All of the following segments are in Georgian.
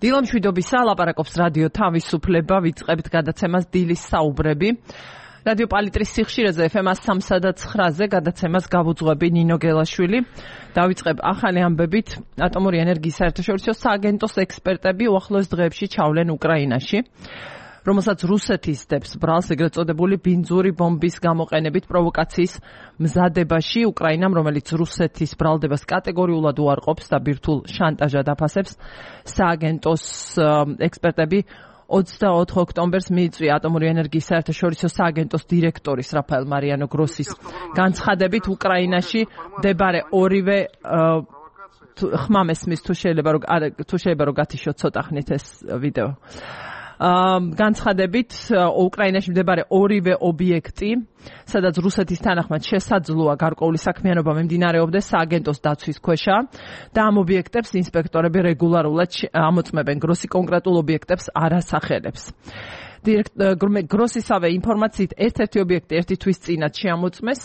დილამშვიდობისა, ლაპარაკობს რადიო თავისუფლება, ვიწყებთ გადაცემას დილის საუბრები. რადიო პალიტრის სიხშირეზე FM 103.9-ზე გადაცემას გავუძღვები ნინო გელაშვილი. დავიწყებ ახალი ამბებით. ატომური ენერგიის საერთაშორისო სააგენტოს ექსპერტები უახლოეს დღეებში ჩავლენ უკრაინაში, რომელსაც რუსეთის დებს ბრალს ეგრეთ წოდებული ბინძური ბომბის გამოყენებით პროვოკაციის მზადებაში. უკრაინამ, რომელიც რუსეთის ბრალდებას კატეგორიულად უარყოფს და ბირთვულ შანტაჟად აფასებს, სააგენტოს ექსპერტები 24 ოქტომბერს მიიწვია ატომური ენერგიის საერთაშორისო სააგენტოს დირექტორის რაფაელ მარიანო გროსის განცხადებით, უკრაინაში მდებარე ორივე ხმამესმის თუ შეიძლება რომ გათიშოთ ცოტა ხნით ეს ვიდეო. განცხადებით, უკრაინაში მდებარე ორივე ობიექტი, სადაც რუსეთის თანახმად შესაძლოა გარკვეული საქმიანობა მიმდინარეობდეს, სააგენტოს დაცვის ქვეშა და ამ ობიექტებს ინსპექტორები რეგულარულად ამოწმებენ. გროსი კონკრეტულ ობიექტებს არ ასახელებს. გროსისავე ინფორმაციით ერთ-ერთი ობიექტი ერთი თვის წინათ შეამოწმეს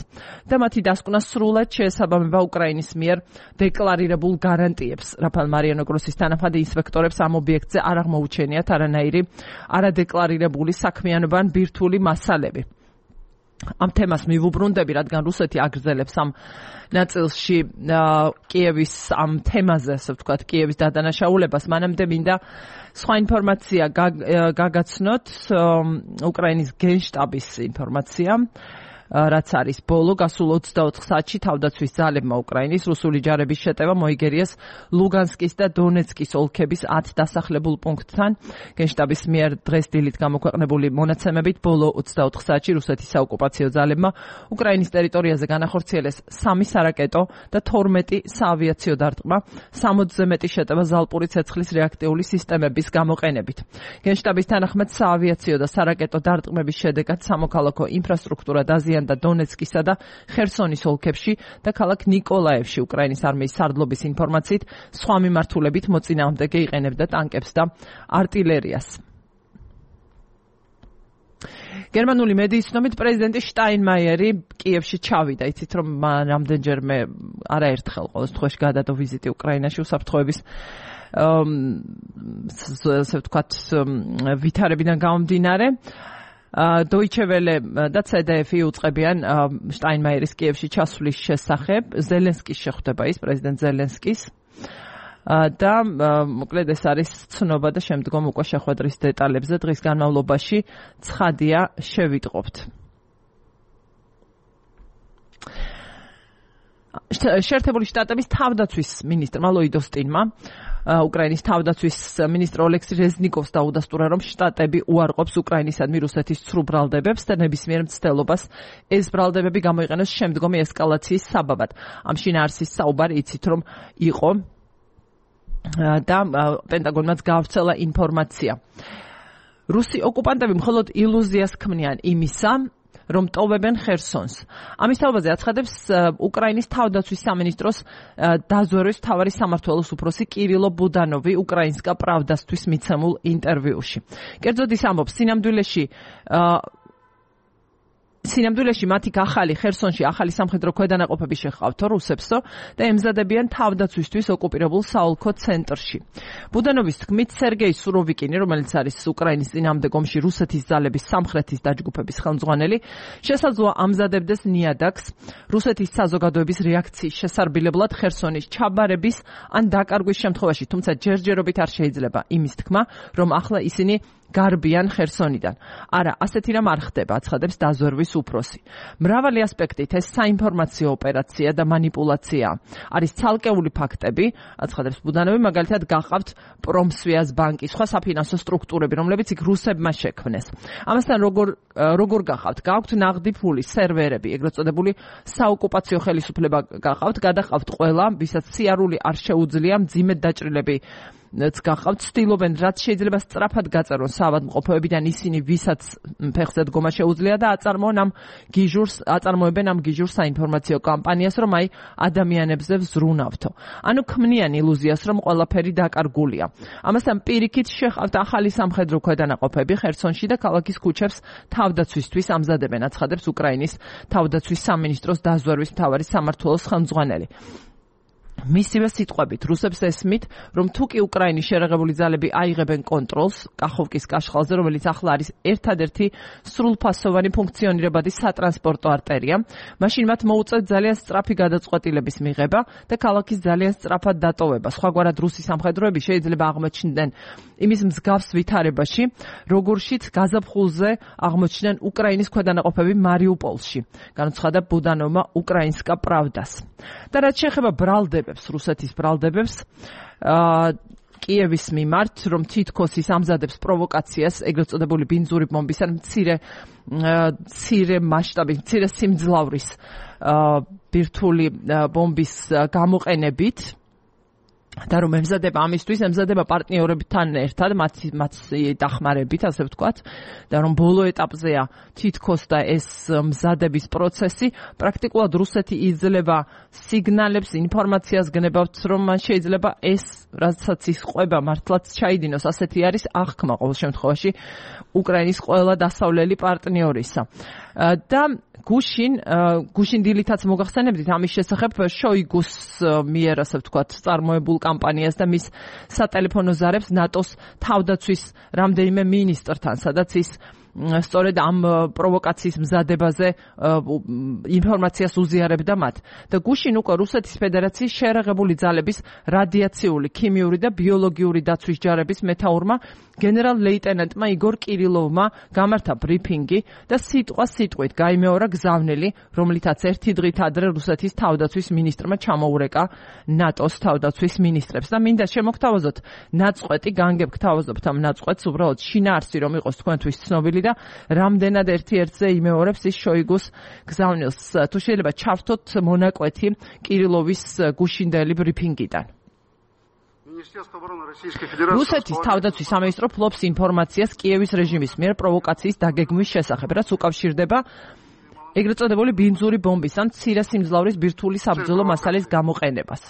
და მათი დასკვნა სრულად შეესაბამება უკრაინის მიერ დეკლარირებულ გარანტიებს. რაფაელ მარიანო გროსის თანახმად ინსპექტორებს ამ ობიექტზე არ აღმოუჩენიათ არანაირი არადეკლარირებული საქმიანობა ან ბირთვული მასალები. ამ თემას მივუბრუნდები, რადგან რუსეთი აგრძელებს ამ ნაწილში კიევის ამ თემაზე, ასე ვთქვათ, კიევის დადანაშაულებას. მანამდე მინდა სხვა ინფორმაცია გაგაცნოთ, უკრაინის გენშტაბის ინფორმაცია, რაც არის ბოლო გასულ 24 საათში თავდაცვის ძალებმა უკრაინის რუსული ჯარების შეტევა მოიგერიეს ლუგანსკის და დონეცკის ოლქების 10 დასახლებულ პუნქტთან. გენშტაბის მიერ დღეს დილით გამოქვეყნებული მონაცემებით ბოლო 24 საათში რუსეთის საოკუპაციო ძალებმა უკრაინის ტერიტორიაზე განახორციელეს 3 სარაკეტო და 12 საავიაციო დარტყმა, 60-ზე მეტი შეტევა ზალპური ცეცხლის რეაქტიული სისტემების გამოყენებით. გენშტაბის თანახმად საავიაციო და სარაკეტო დარტყმების შედეგად სამოქალაქო ინფრასტრუქტურა დაზიანდა და დონეცკისა და ხერსონის ოლქებში და ქალაქ ნიკოლაევში. უკრაინის არმიის სარდლობის ინფორმაციით, სხვა მიმართულებით მოწინააღმდეგე იყენებდა ტანკებს და არტილერიას. გერმანული მედიის ცნობით, პრეზიდენტი შტაინმაიერი კიევში ჩავიდა. იცით, რომ რამდენჯერმე არაერთხელ ყოველ დღეში გადადო ვიზიტი უკრაინაში უსაფრთხოების ასე ვთქვათ ვითარებიდან გამომდინარე. Deutsche Welle და CDF უწყებიან შტაინმაიერის კიევში ჩასვლის შესახებ. ზელენსკის შეხვდება ის, პრეზიდენტ ზელენსკის. და მოკლედ ეს არის ცნობა და შემდგომ უკვე შეხვედრის დეტალებზე დღის განმავლობაში ცხადია შევიტყობთ. შეერთებული შტატების თავდაცვის მინისტრმა ლოიდ ოსტინმა უკრაინის თავდაცვის მინისტრ ოლექსი რეზნიკოვს დაუდასტურა, რომ შტატები უარყოფს უკრაინისადმი რუსეთის ცრუ ბრალდებებს და ნებისმიერ მცდელობას ეს ბრალდებები გამოიყენოს შემდგომი ესკალაციის საბაბად. ამ შინაარსის საუბარი იცით, რომ იყო და პენტაგონმაც გაავრცელა ინფორმაცია. რუსი ოკუპანტები მხოლოდ ილუზიას ქმნიან იმისა, რომ ტოვებენ ხერსონს. ამის თაობაზე აცხადებს უკრაინის თავდაცვის სამინისტროს დაზვერვის მთავარი სამმართველოს უფროსი კირილო ბუდანოვი უკრაინსკა პრავდასთვის მიცემულ ინტერვიუში. კერძოდ ის ამბობს, სინამდვილეში მათი ახალი ხერსონში ახალი სამხედრო ქვედანაყოფები შეჰყავთო რუსებსო და ემზადებიან თავდაცვისთვის ოკუპირებულ საოლქო ცენტრში. ბუდანოვის თქმით, სერგეი სუროვიკინი, რომელიც არის უკრაინის წინააღმდეგ ომში რუსეთის ძალების სამხრეთის დაჯგუფების ხელმძღვანელი, შესაძლოა ამზადებდეს ნიადაგს რუსეთის საზოგადოების რეაქციის შესარბილებლად ხერსონის ჩაბარების ან დაკარგვის შემთხვევაში, თუმცა ჯერჯერობით არ შეიძლება იმის თქმა, რომ ახლა ისინი გარბიან ხერსონიდან. არა, ასეთი რამ არ ხდება, აცხადებს დაზვერვის უფროსი. მრავალი ასპექტით ეს საინფორმაციო ოპერაცია და მანიპულაცია არის ცალკეული ფაქტები, აცხადებს ბუდანოვი, მაგალითად გახავთ პრომსვიას ბანკი, სხვა საფინანსო სტრუქტურები, რომლებიც იქ რუსებმა შექმნეს. ამასთან როგორ გახავთ? გააქვთ ნაღდი ფული, სერვერები, ეგრეთ წოდებული საოკუპაციო ხელისუფლება გახავთ, გადახავთ ყველა, ვისაც სიარული არ შეუძლია, მძიმედ დაჭრილები გახავთ, ცდილობენ რაც შეიძლება სწრაფად გაწერონ საავადმყოფოებიდან ისინი, ვისაც ფეხზე დგომა შეუძლია და აწარმოებენ ამ გიჟურს საინფორმაციო კამპანიას, რომ აი ადამიანებზე ვზრუნავთო. ანუ ქმნიან ილუზიას, რომ ყველაფერი დაკარგულია. ამასთან პირიქით შეჰყავთ ახალი სამხედრო ქვედანაყოფები ხერსონში და ქალაქის ქუჩებს თავდაცვისთვის ამზადებენ, აცხადებს უკრაინის თავდაცვის სამინისტროს დაზვერვის მთავარი სამმართველოს ხელმძღვანელი. მისივე სიტყვებით რუსებს ესმით, რომ თუ კი უკრაინის შერეღებული ძალები აიღებენ კონტროლს კახოვკის კაშხალზე, რომელიც ახლა არის ერთადერთი სრულფასოვანი ფუნქციონირებადი სატრანსპორტო არტერია, მაშინ მათ მოუწევთ ძალიან სწრაფი გადაწყვეტილების მიღება და ქალაქის ძალიან სწრაფად დატოვება. სხვაგვარად რუსი სამხედროები შეიძლება აღმოჩნდნენ იმის მსგავს ვითარებაში, როგორშიც გაზაფხულზე აღმოჩნდნენ უკრაინის ქვედანაყოფები მარიუპოლში, განუცხადა ბუდანოვმა უკრაინსკა პრავდას. და რაც შეეხება ბრალდებებს, რუსეთის ბრალდებებს, კიევის მიმართ, რომ თითქოს ის ამზადებს პროვოკაციას, ეგრეთ წოდებული ბინძური ბომბის ან მცირე მასშტაბის, მცირე სიმძლავრის ბირთვული ბომბის გამოყენებით, და რომ ემზადება ამისთვის, ემზადება პარტნიორებთან ერთად, მათი დახმარებით, ასე ვთქვათ, და რომ ბოლო ეტაპზეა თითქოს და ეს მზადების პროცესი, პრაქტიკულად რუსეთი იძლევა სიგნალებს, ინფორმაციას გნებავთ, რომ მან შეიძლება ეს, რასაც ის ყვება, მართლაც ჩაიდინოს, ასეთი არის აღქმა ყოველ შემთხვევაში უკრაინის ყველა დასავლელი პარტნიორისა. და გუშინ დილითაც მოგახსენებდით ამის შესახებ შოიგუს მიერ, ასე ვთქვათ, წარმოებულ კამპანიას და მის სატელეფონო ზარებს ნატოს თავდაცვის რამდენიმე მინისტრთან, სადაც ის სწორედ ამ პროვოკაციის მზადებაზე ინფორმაციას უზიარებდა მათ. და გუშინ უკვე რუსეთის ფედერაციის შერეღებული ძალების რადიაციული, ქიმიური და ბიოლოგიური დაცვის ჯარების მეთაურმა გენერალ ლეიტენანტმა იგორ კირილოვმა გამართა ბრიფინგი და სიტყვით გაიმეორა გზავნილი, რომლითაც ერთი დღით ადრე რუსეთის თავდაცვის მინისტრმა ჩამოურეკა ნატოს თავდაცვის მინისტრებს. და მინდა შემოგთავაზოთ ნაწყვეტი, განგებგთავაზობთ ამ ნაწყვეტს, უბრალოდ შინაარსი რომ იყოს თქვენთვის ცნობილი და რამდენად ერთი-ერთზე იმეორებს ის შოიგუს გზავნილს. თუ შეიძლება ჩავთოთ მონაკვეთი კირილოვის გუშინდელი ბრიფინგიდან. რუსეთის თავდაცვის სამინისტრო ფლობს ინფორმაციას კიევის რეჟიმის მიერ პროვოკაციის დაგეგმვის შესახებ, რაც უკავშირდება ეგრეთ წოდებული ბინძური ბომბის ან მცირე სიმძლავრის ბირთვული საბრძოლო მასალის გამოყენებას.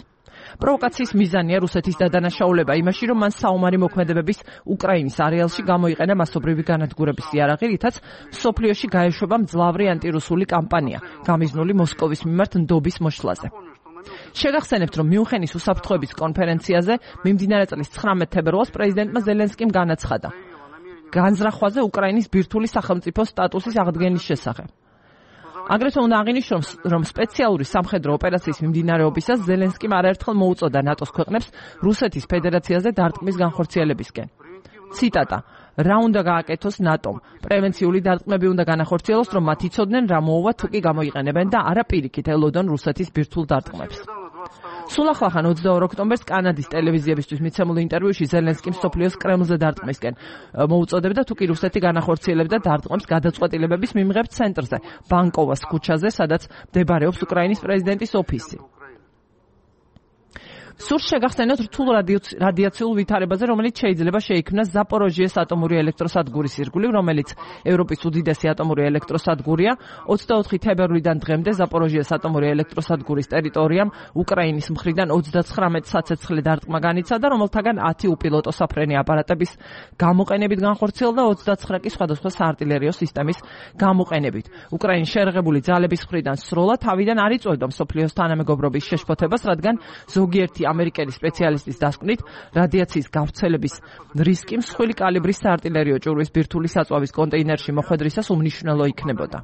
პროვოკაციის მიზანია რუსეთის დადანაშაულება იმაში, რომ მან საომარი მოქმედებების უკრაინის არეალში გამოიყენა მასობრივი განადგურების იარაღი, რითაც მსოფლიოში გაეშვება მძლავრი ანტირუსული კამპანია, გამიზნული მოსკოვის მიმართ ნდობის მოშლაზე. შეგახსენებთ, რომ მიუნხენის უსაფრთხოების კონფერენციაზე მიმდინარე წლის 19 თებერვალს პრეზიდენტმა ზელენსკიმ განაცხადა განზრახვაზე უკრაინის ბირთვული სახელმწიფო სტატუსის აღდგენის შესახებ. აგრეთვე უნდა აღინიშნოს, რომ სპეციალური სამხედრო ოპერაციის მიმდინარეობისას ზელენსკიმ არაერთხელ მოუწოდა ნატოს ქვეყნებს რუსეთის ფედერაციაზე დარტყმის განხორციელებისკენ. ციტატა: რა უნდა გააკეთოს ნატომ? პრევენციული დარტყმები უნდა განახორციელოს, რომ მათ იცოდნენ რა მოუვა თუ კი გამოიყენებენ და არა პირიქით ელოდონ რუსეთის ბირთვულ დარტყმებს. სულ ახლახან 22 ოქტომბერს კანადის ტელევიზიებისთვის მიცემულ ინტერვიუში ზელენსკიმ მსოფლიოს კრემლზე დარტყმისკენ მოუწოდებდა, თუ კი რუსეთი განახორციელებდა დარტყმებს გადაწყვეტილებების მიმღებ ცენტრზე, ბანკოვას ქუჩაზე, სადაც მდებარეობს უკრაინის პრეზიდენტის ოფისი. სურს შეგახსენოთ რთულ რადიაციულ ვითარებაზე, რომელიც შეიძლება შეიქმნას ზაპოროჟიეს ატომური ელექტროსადგურის ირგვლივ, რომელიც ევროპის უდიდესი ატომური ელექტროსადგურია. 24 თებერვლიდან დღემდე ზაპოროჟიეს ატომური ელექტროსადგურის ტერიტორიამ უკრაინის მხრიდან 39 საცეცხლე დარტყმა განიცადა, რომელთაგან 10 უპილოტო საფრენი აპარატების გამოყენებით განხორციელდა, 29 კი სხვადასხვა საარტილერიო სისტემის გამოყენებით. უკრაინის შერეღებული ძალების მხრიდან სროლა თავიდან არ იწვევდა მსოფლიოს თანამეგობრობის შეშფოთებას, რადგან ზოგიერთი ამერიკელი სპეციალისტის დასკვნით რადიაციის გავრცელების რისკი მსხვილი კალიბრის საარტილერიო ჭურვის ბირთვული საწვავის კონტეინერში მოხვედრისას უმნიშვნელო იქნებოდა.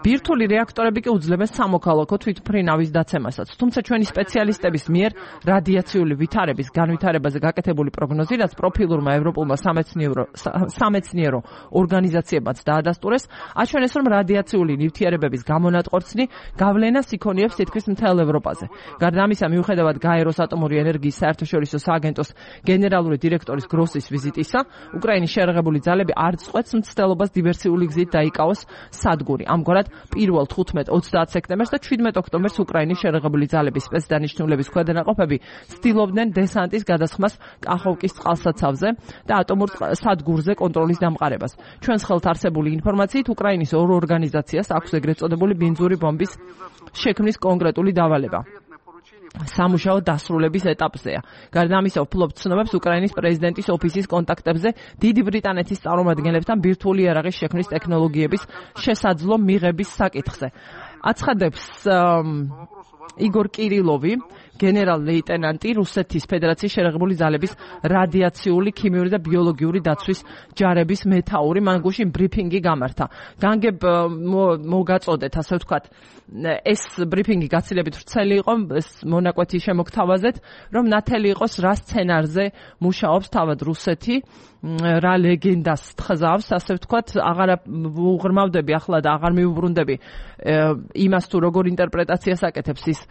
ბირთვული რეაქტორები კი უძლებენ სამოქალაქო თვითმფრინავის დაცემასაც. თუმცა ჩვენი სპეციალისტების მიერ რადიაციული ვითარების განვითარებაზე გაკეთებული პროგნოზი, რაც პროფილურმა ევროპულმა სამეცნიერო ორგანიზაციებმაც დაადასტურეს, აჩვენეს, რომ რადიაციული ნივთიერებების გამონატყორცნი გავლენას იქონიებს თითქმის მთელ ევროპაზე. გარდა ამისა, მიუხედავად გაეროს ატომური ენერგიის საერთაშორისო სააგენტოს გენერალური დირექტორის გროსის ვიზიტისა, უკრაინის შერეღებული ძალები არ წყვეტს მცდელობას დივერსიული გზით დაიკავოს სადგური. ამგვარად, პირველ 15-30 სექტემბერს და 17 ოქტომბერს უკრაინის შერეღებული ძალების სპეცდანიშნულების ქვედანაყოფები ცდილობდნენ დესანტის გადასხმას კახოვკის წყალსაცავზე და ატომურ სადგურზე კონტროლის დამყარებას. ჩვენს ხელთ არსებული ინფორმაციით, უკრაინის ორ ორგანიზაციას აქვს ეგრეთ წოდებული ბინძური ბომბის შექმნის კონკრეტული დავალება. სამუშაო დასრულების ეტაპზეა. გარდა ამისა, ვფლობთ ცნობებს უკრაინის პრეზიდენტის ოფისის კონტაქტებზე დიდი ბრიტანეთის წარმომადგენლებთან ბირთვული იარაღის შექმნის ტექნოლოგიების შესაძლო მიღების საკითხზე. აცხადებს იგორ კირილოვი, გენერალ-ლეიტენანტი რუსეთის ფედერაციის შერეღებული ძალების რადიაციული, ქიმიური და ბიოლოგიური დაცვის ჯარების მეთაური. მან გუშინ ბრიფინგი გამართა. განგებ მოგაწოდეთ, ასე ვთქვათ, ეს ბრიფინგი გაცილებით ვრცელი იყო, ეს მონაკვეთი შემოგთავაზეთ, რომ ნათელი იყოს რა სცენარზე მუშაობს თავად რუსეთი, რა ლეგენდას თხზავს, ასე ვთქვათ, აღარ უღრმავდები ახლა და აღარ მიუბრუნდები იმას თუ როგორ ინტერპრეტაციას აკეთებს ის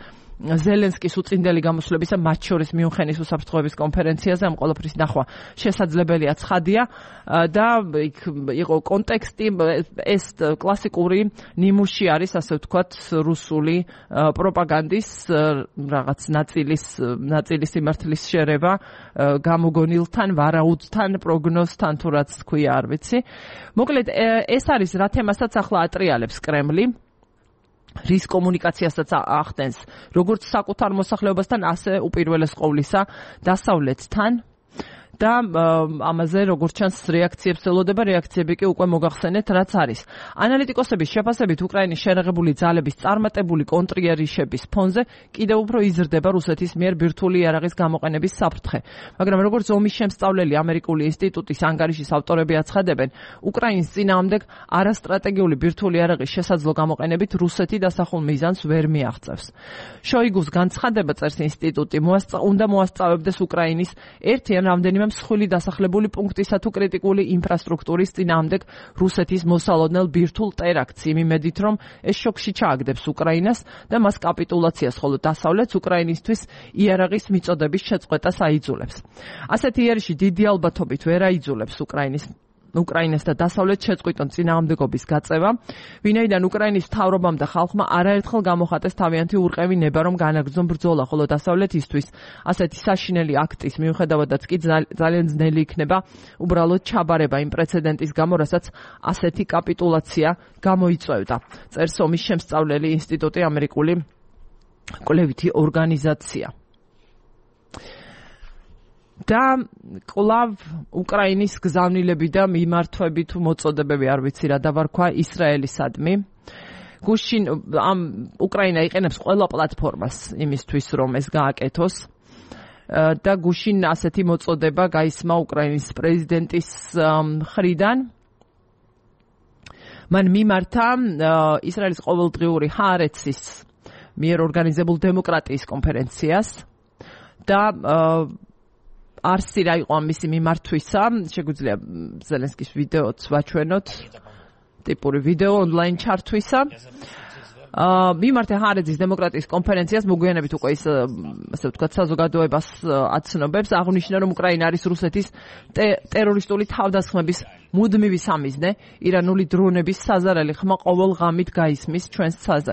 ზელენსკის უწინდელი გამოსვლებისა, მათ შორის მიუნხენის უსაფრთხოების კონფერენციაზე, ამ ყველაფრის ნახვა შესაძლებელია, ცხადია და იქ იყო კონტექსტი, ეს კლასიკური ნიმუში არის, ასე ვთქვათ, რუსული პროპაგანდის რაღაც ნაწილის სიმართლის შერევა გამოგონილთან, ვარაუდთან, პროგნოზთან თუ რაც თქვია, არ ვიცი. მოკლედ, ეს არის რა თემასაც ახლა ატრიალებს კრემლი. რის კომუნიკაციასაც ახდენს, როგორც საკუთარ მოსახლეობასთან, ასე უპირველეს ყოვლისა დასავლეთთან და ამაზე როგორც ჩანს რეაქციებს ელოდება, რეაქციები კი უკვე მოგახსენეთ, რაც არის. ანალიტიკოსების შეფასებით უკრაინის შერეღებული ძალების წარმატებული კონტრიერიშების ფონზე კიდევ უფრო იზრდება რუსეთის მიერ ბირთვული იარაღის გამოყენების საფრთხე. მაგრამ როგორც ომის შემსწავლელი ამერიკული ინსტიტუტის ანგარიშის ავტორები აცხადებენ, უკრაინის წინააღმდეგ არასტრატეგიული ბირთვული იარაღის შესაძლო გამოყენებით რუსეთი დასახულ მიზანს ვერ მიაღწევს. შოიგუს განცხადება, წერს ინსტიტუტი, უნდა მოასწავებდეს უკრაინის ერთი ან რამდენიმე მსხვილი დასახლებული პუნქტისა თუ კრიტიკული ინფრასტრუქტურის წინააღმდეგ რუსეთის მოსალოდნელ ბირთვულ ტერაქტს იმ იმედით, რომ ეს შოკში ჩააგდებს უკრაინას და მას კაპიტულაციას, ხოლო დასავლეთს უკრაინისთვის იარაღის მიწოდების შეწყვეტას აიძულებს. ასეთი იერიში დიდი ალბათობით ვერ აიძულებს უკრაინას და დასავლეთ შეწყვიტონ წინააღმდეგობის გაწევა, ვინაიდან უკრაინის მთავრობამ და ხალხმა არაერთხელ გამოხატეს თავიანთი ურყევი ნება, რომ განაგრძონ ბრძოლა, ხოლო დასავლეთისთვის ასეთი საშინელი აქტის მიუხედავადაც კი ძალიან ძნელი იქნება უბრალოდ ჩაბარება იმ პრეცედენტის გამო, რასაც ასეთი კაპიტულაცია გამოიწვევდა. წერს ომის შემსწავლელი ინსტიტუტი, ამერიკული კვლევითი ორგანიზაცია. და კლავ უკრაინის გზავნილები და მიმართვები თუ მოწოდებები, არ ვიცი რა დავარქვა, ისრაელისადმი. გუშინ უკრაინა იყენებს ყველა პლატფორმას იმისთვის, რომ ეს გააკეთოს. და გუშინ ასეთი მოწოდება გაისმა უკრაინის პრეზიდენტის მხრიდან. მან მიმართა ისრაელის ყოველდღიური ჰაარეცის მიერ ორგანიზებულ დემოკრატიის კონფერენციას და არსი რა იყო მისი მიმართვისა, შეგვიძლია ზელენსკის ვიდეოც ვაჩვენოთ, ტიპური ვიდეო ონლაინ ჩართვისა. მიმართა ჰაარეცის დემოკრატიის კონფერენციას მოგვიანებით უკვე ის, ასე ვთქვათ, საზოგადოებას აცნობებს, აღნიშნა, რომ უკრაინა არის რუსეთის ტერორისტული თავდასხმების მუდმივი სამიზნე, ირანული დრონების საზარელი ხმა ყოველ ღამით გაისმის ჩვენს ცაზე.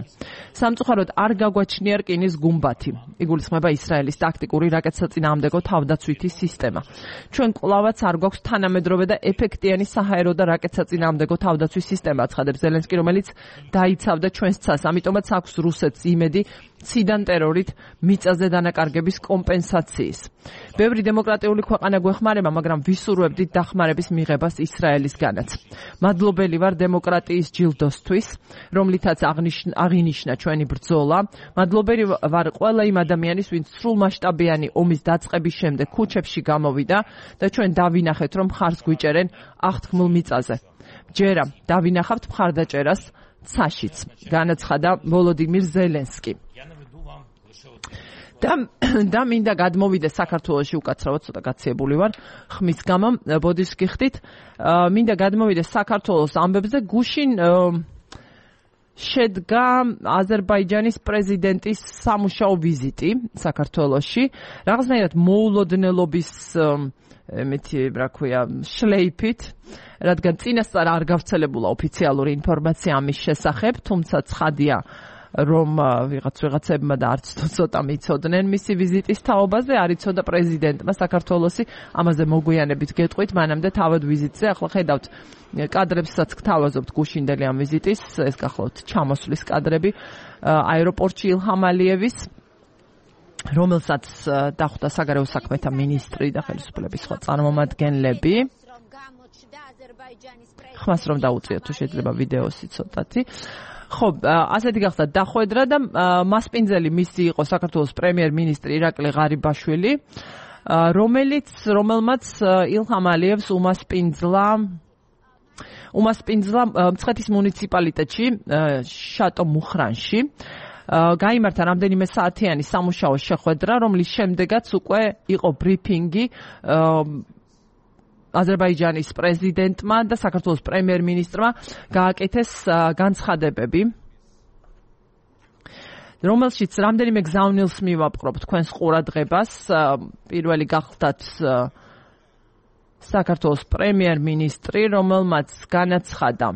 სამწუხაროდ არ გაგვაჩნია რკინის გუმბათი. იგულისხმება ისრაელის ტაქტიკური რაკეტსაწინააღმდეგო თავდაცვითი სისტემა. ჩვენ კვლავაც არ გვაქვს თანამედროვე და ეფექტიანი საჰაერო და რაკეტსაწინააღმდეგო თავდაცვის სისტემა, აცხადებს ზელენსკი, რომელიც დაიცავდა ჩვენს ცას. ამიტომაც აქვს რუსეთს იმედი ციდან ტერორით მიწაზე დანაკარგების კომპენსაციის. ბევრი დემოკრატიული ქვეყანა გვეხმარება, მაგრამ ვისურვებდით დახმარების მიღებას ისრაელისგანაც. მადლობელი ვარ დემოკრატიის ჯილდოსთვის, რომლითაც აღინიშნა ჩვენი ბრძოლა. მადლობელი ვარ ყველა იმ ადამიანის, ვინც სრულმასშტაბიანი ომის დაწყების შემდეგ ქუჩებში გამოვიდა და ჩვენ დავინახეთ, რომ მხარს გვიჭერენ აღთქმულ მიწაზე. ჯერა დავინახავთ მხარდაჭერას ცაშიც, განაცხადა ვოლოდიმირ ზელენსკი. და მინდა გადმოვიდეს საქართველოში, უკაცრავად ცოტა გაციებული ვარ ხმის გამო, ბოდიშს გიხდით, მინდა გადმოვიდეს საქართველოს ამბებზე. გუშინ შედგა აზერბაიჯანის პრეზიდენტის სამუშაო ვიზიტი საქართველოში, რაღაცნაირად მოულოდნელობის შლეიფით, რადგან წინასწარ არ გავრცელებულა ოფიციალური ინფორმაცია ამის შესახებ, თუმცა ცხადია, რომ ვიღაცებმა და არც ცოტა მიცოდნენ მისი ვიზიტის თაობაზე, არ იცოდა პრეზიდენტმა საქართველოსი, ამაზე მოგვიანებით გეტყვით, მანამდე თავად ვიზიტზე, ახლა ხედავთ კადრებსაც გთავაზობთ გუშინდელი ამ ვიზიტის, ეს გახლავთ ჩამოსვლის კადრები აეროპორტში ილჰამ ალიევის, რომელსაც დახვდა საგარეო საქმეთა მინისტრი და ხელისუფლების სხვა წარმომადგენლები. ხმას რომ დაუწიოთ თუ შეიძლება ვიდეოსი ცოტათი. ხო, ასეთი გახდა დახვედრა და მასპინძელი მისი იყო საქართველოს პრემიერ-მინისტრი ირაკლი ღარიბაშვილი, რომელმაც ილჰამ ალიევს უმასპინძლა მცხეთის მუნიციპალიტეტში, შატო მუხრანში. გაიმართა რამდენიმე საათიანი სამუშაო შეხვედრა, რომლის შემდეგაც უკვე იყო ბრიფინგი აზერბაიჯანის პრეზიდენტმა და საქართველოს პრემიერ-მინისტრმა გააკეთეს განცხადებები, რომელშიც რამდენიმე გზავნილს მივაპყრობ თქვენს ყურადღებას. პირველი გახლდათ საქართველოს პრემიერ-მინისტრი, რომელმაც განაცხადა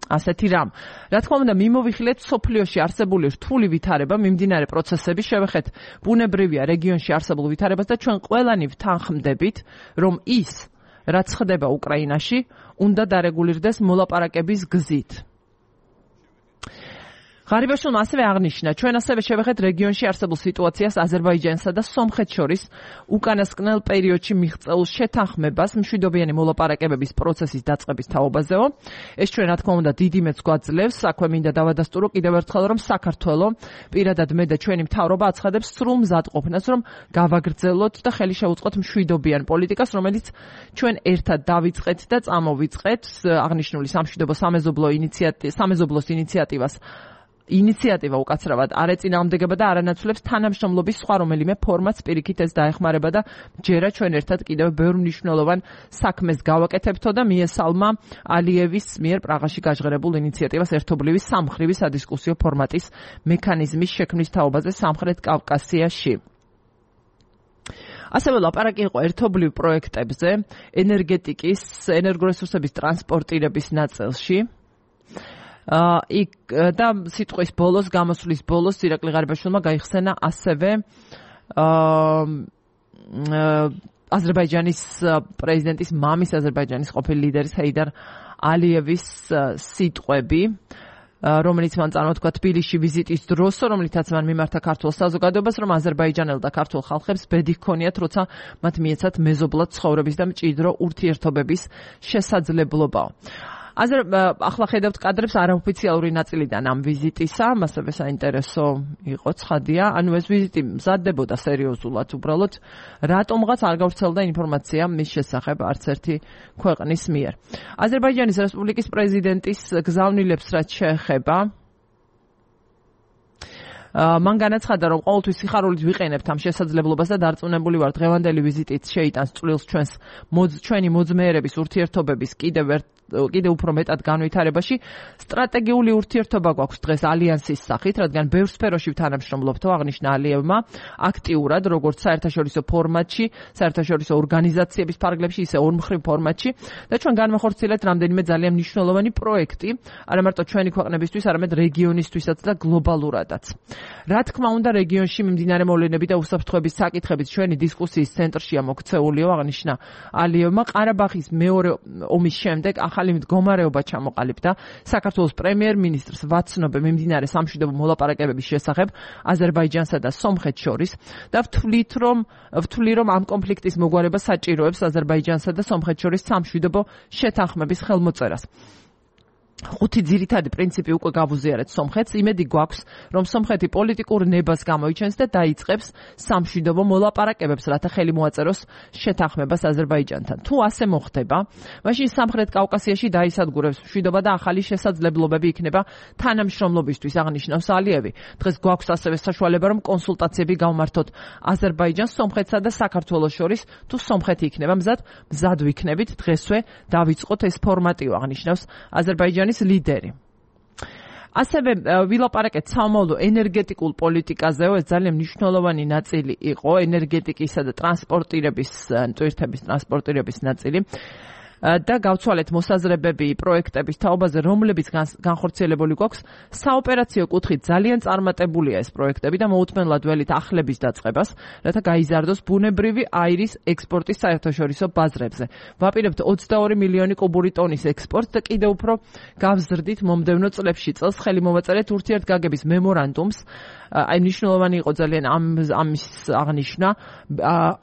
ასეთი რამ. რა თქმა უნდა, მიმოვიხილეთ სოფლიოში არსებული რთული ვითარება, მიმდინარე პროცესები, შევეხეთ ბუნებრივია რეგიონში არსებულ ვითარებას და ჩვენ ყველანი ვთანხმდებით, რომ ის, რაც ხდება უკრაინაში, უნდა დარეგულირდეს მოლაპარაკების გზით. ღარიბაშვილმა ასევე აღნიშნა, ჩვენ ასევე შევეხეთ რეგიონში არსებულ სიტუაციას აზერბაიჯანსა და სომხეთს შორის უკანასკნელ პერიოდში მიღწეულ შეთანხმებას მშვიდობიანი მოლაპარაკებების პროცესის დაწყების თაობაზეო. ეს ჩვენ, რა თქმა უნდა, დიდი მეც გვაძლევს. აქვე მინდა დავადასტურო კიდევ ერთხელ, რომ საქართველო პირადად მე და ჩვენი მთავრობა აცხადებს სრულ მზადყოფნას, რომ გავაგრძელოთ და ხელი შევუწყოთ მშვიდობიან პოლიტიკას, რომელიც ჩვენ ერთად დავიწყეთ და წამოვიწყეთ. აღნიშნული სამშვიდობო სამეზობლოს ინიციატივა უკაცრავად არ ეწინააღმდეგება და არანაცვლებს თანამშრომლობის სხვა რომელიმე ფორმატს პირიქით ეს დაეხმარება და ჯერა ჩვენ ერთად კიდევ ბევრ მნიშვნელოვან საქმეს გავაკეთებთო და მიესალმა ალიევის მიერ პრაღაში გაჟღერებულ ინიციატივას ერთობლივი სამხრივი სადისკუსიო ფორმატის მექანიზმის შექმნის თაობაზე სამხრეთ კავკასიაში. ასევე ლაპარაკი იყო ერთობლივ პროექტებზე ენერგეტიკის, ენერგორესურსების ტრანსპორტირების ნაწილში. იქ და სიტყვის ბოლოს, გამოსვლის ბოლოს ირაკლი ღარიბაშვილმა გაიხსენა ასევე აზერბაიჯანის პრეზიდენტის მამის, აზერბაიჯანის ყოფილი ლიდერის ჰეიდარ ალიევის სიტყვები, რომელიც მან წარმოთქვა თბილისში ვიზიტის დროს, რომლითაც მან მიმართა ქართულ საზოგადოებას, რომ აზერბაიჯანელ და ქართულ ხალხებს ბედი ჰქონიათ, როცა მათ მიეცათ მეზობლად ცხოვრების და მჭიდრო ურთიერთობების შესაძლებლობა. ახლა ხედავთ კადრებს არაოფიციალური ნაწილიდან ამ ვიზიტისა, მასევე საინტერესო იყო ცხადია, ანუ ეს ვიზიტი მზადდებოდა სერიოზულად, უბრალოდ რატომღაც არ გავრცელდა ინფორმაცია მის შესახებ არც ერთი ქვეყნის მიერ. აზერბაიჯანის რესპუბლიკის პრეზიდენტის გზავნილებს რაც შეეხება, მან განაცხადა, რომ ყოველთვის სიხარულით ვიყენებთ ამ შესაძლებლობას და დარწმუნებული ვარ, დღევანდელი ვიზიტით შეიტანს წვრილს ჩვენი მოძმეერების ურთიერთობების კიდევ უფრო მეტად განვითარებაში. სტრატეგიული ურთიერთობა გვაქვს დღეს ალიანსის სახით, რადგან ბევრ სფეროში ვთანამშრომლობთო, აღნიშნა ალიევმა აქტიურად, როგორც საერთაშორისო ფორმატში, საერთაშორისო ორგანიზაციების ფარგლებში, ისე ორმხრივ ფორმატში და ჩვენ განვახორციელებთ რამდენიმე ძალიან მნიშვნელოვანი პროექტი, არა მარტო ჩვენი ქვეყნებისთვის, არამედ რეგიონისთვისაც და გლობალურადაც. რა თქმა უნდა, რეგიონში მიმდინარე მოვლენები და უსაფრთხოების საკითხებით ჩვენი დისკუსიის ცენტრშია მოქცეულიო, აღნიშნა ალიევმა. ყარაბაღის მეორე ომის შემდეგ ახალი მდგომარეობა ჩამოყალიბდა. საქართველოს პრემიერ-მინისტრს ვაცნობ მიმდინარე სამშვიდობო მოლაპარაკებების შესახებ აზერბაიჯანსა და სომხეთს შორის და ვთვლი რომ ამ კონფლიქტის მოგვარება საჭიროებს აზერბაიჯანსა და სომხეთს შორის სამშვიდობო შეთანხმების ხელმოწერას. 5 ძირითადი პრინციპი უკვე გავუზიარეთ სომხეთს. იმედი გვაქვს, რომ სომხეთი პოლიტიკურ ნებას გამოიჩენს და დაიწყებს სამშვიდობო მოლაპარაკებებს, რათა ხელი მოაწეროს შეთანხმებას აზერბაიჯანთან. თუ ასე მოხდება, მაშინ სამხრეთ კავკასიაში დაისადგურებს მშვიდობა და ახალი შესაძლებლობები იქნება თანამშრომლობისთვის, აღნიშნავს ალიევი. დღეს გვაქვს ასევე საშუალება, რომ კონსულტაციები გავმართოთ აზერბაიჯანს, სომხეთსა და საქართველოს შორის. თუ სომხეთი იქნება მზად ვიქნებით დღესვე დავიწყოთ ეს ფორმატი, აღნიშნავს აზერბაიჯანის ლიდერი. ასევე ვილაპარაკეთ სამომავლო ენერგეტიკულ პოლიტიკაზეო, ეს ძალიან მნიშვნელოვანი ნაწილი იყო ენერგეტიკისა და ტრანსპორტირების ნაწილი. და გავცვალეთ მოსაზრებები პროექტების თაობაზე, რომლებიც განხორციელებული გვაქვს. საოპერაციო კუთხით ძალიან წარმატებულია ეს პროექტები და მოუთმენლად ველით ახლების დაწყებას, რათა გაიზარდოს ბუნებრივი აირის ექსპორტის საერთაშორისო ბაზრებზე. ვაპირებთ 22 მილიონი კუბური ტონის ექსპორტს და კიდევ უფრო გავზრდით მომდევნო წლებში. წელს ხელი მოვაწერეთ ურთიერთგაგების მემორანდუმს აი მნიშვნელოვანი იყო ძალიან ამის აღნიშვნა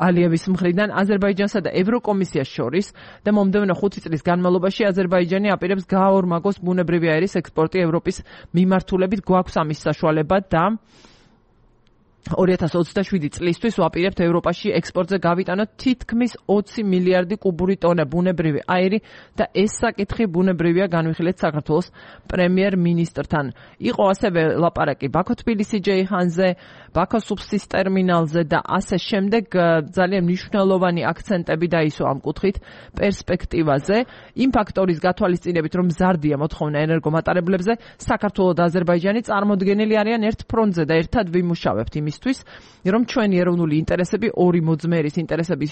ალიევის მხრიდან აზერბაიჯანსა და ევროკომისიას შორის და მომდევნო 5 წლის განმავლობაში აზერბაიჯანი აპირებს გააორმაგოს ბუნებრივი აირის ექსპორტი ევროპის მიმართულებით. გვაქვს ამის საშუალება და 2027 წლისთვის ვაპირებთ ევროპაში ექსპორტზე გავიტანოთ თითქმის 20 მილიარდი კუბური ტონა ბუნებრივი აირი და ეს საკითხი ბუნებრივია განვიხილეთ საქართველოს პრემიერ-მინისტრთან. იყო ასევე ლაპარაკი ბაქო-თბილისი-ჯეიჰანზე, ბაქო-სუფსის ტერმინალზე და ასე შემდეგ ძალიან მნიშვნელოვანი აქცენტები დაისვა ამ კუთხით პერსპექტივაზე. იმ ფაქტორის გათვალისწინებით, რომ მზარდია მოთხოვნა ენერგომატარებლებზე, საქართველო და აზერბაიჯანი წარმოდგენილი არიან ერთ ფრონტზე და ერთად ვიმუშავებთ იმისთვის, რომ ჩვენი ეროვნული ინტერესები ორი მოძმერის ინტერესები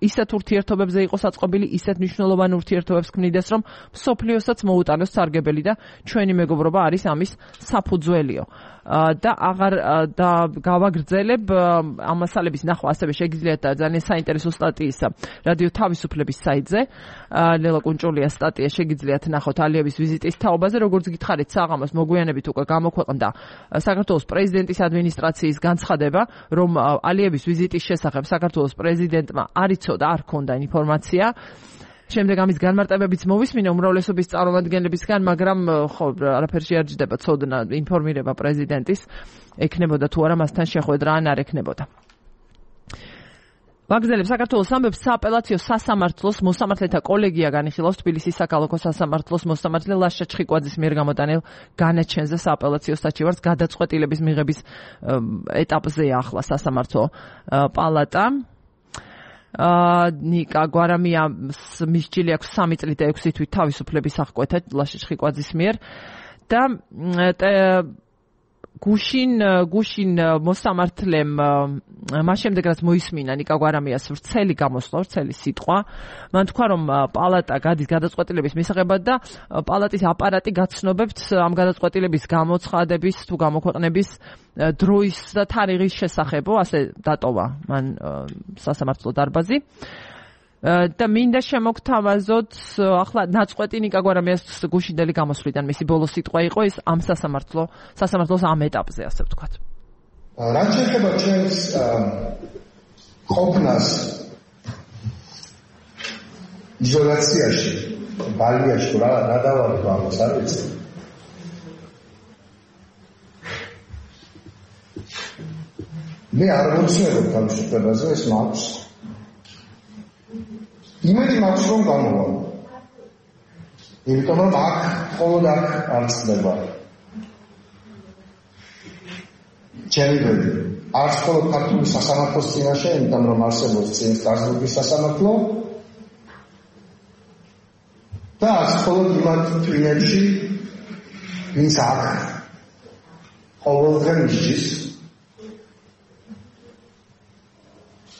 ისეთ ურთიერთობებზე იყოს აწყობილი, ისეთ მნიშვნელოვან ურთიერთობებს ქმნიდეს, რომ მსოფლიოსაც მოუტანოს სარგებელი და ჩვენი მეგობრობა არის ამის საფუძველიო. და გავაგრძელებ ამ მასალების ნახვა ასევე შეგიძლიათ ძალიან საინტერესო სტატიის რადიო თავისუფლების საიტზე ლელა კუნჭულიას სტატია შეგიძლიათ ნახოთ ალიევის ვიზიტის თაობაზე. როგორც გითხარით, საღამოს მოგვიანებით უკვე გამოქვეყნდა საქართველოს პრეზიდენტის ადმინისტრაციის განცხადება, რომ ალიევის ვიზიტის შესახებ საქართველოს პრეზიდენტმა არ იცოდა, არ ჰქონდა ინფორმაცია. შემდეგ ამის განმარტებებიც მოვისმინე უმრავლესობის წარმომადგენლებისგან, მაგრამ ხო, არაფერი შეარჯდება ცოდნა ინფორმირება პრეზიდენტის ექნებოდა თუ არა მასთან შეხვედრა ან არ ექნებოდა. ვაგრძელებ საქართველოს ამბებს. სააპელაციო სასამართლოს მოსამართლეთა კოლეგია განიხილავს თბილისის საქალაქო სასამართლოს მოსამართლე ლაშა ჩხიკვაძის მიერ გამოტანილ განაჩენზე სააპელაციო საჩივარს გადაწყვეტილების მიღების ეტაპზეა ახლა სასამართლო პალატა. ნიკა გვარამიას მისჯილი აქვს 3 წელი და 6 თვით თავისუფლების აღკვეთა ლაშა ჩხიკვაძის მიერ და გუშინ მოსამართლემ მას შემდეგ რაც მოისმინა ნიკა გვარამიას ვრცელი გამოსვლა, ვრცელი სიტყვა, მან თქვა, რომ პალატა გადის გადაწყვეტილების მისაღებად და პალატის აპარატი გაცნობებთ ამ გადაწყვეტილების გამოცხადების თუ გამოქვეყნების დროის და თარიღის შესახებო, ასე დატოვა მან სასამართლო დარბაზი. და მინდა შემოგთავაზოთ ახლა ნაწყვეტი ნიკა გვარამიას გუშინდელი გამოსვლიდან მისი ბოლო სიტყვა იყო ეს ამ სასამართლოს ამ ეტაპზე, ასე ვთქვათ. რაც შეეხება ჩვენს ყოფნას იზოლაციაში, ბალიაში, რა დავარქვა ამას არ ვიცი. მე არ მოცნებობ თავისუფლებაზე, ეს მაქვს. იმედი მაქვს, რომ გამოვალ. იმიტომ რომ აქ მხოლოდ აქ არ ცდება. ჩემი არც მხოლოდ ქართული სასამართლოს წინაშე, იმიტომ რომ არსებობს წინ სტრასბურგის სასამართლო და არც მხოლოდ იმათ თვინეთში, ვინც აქ ყოველდღე მისჯის.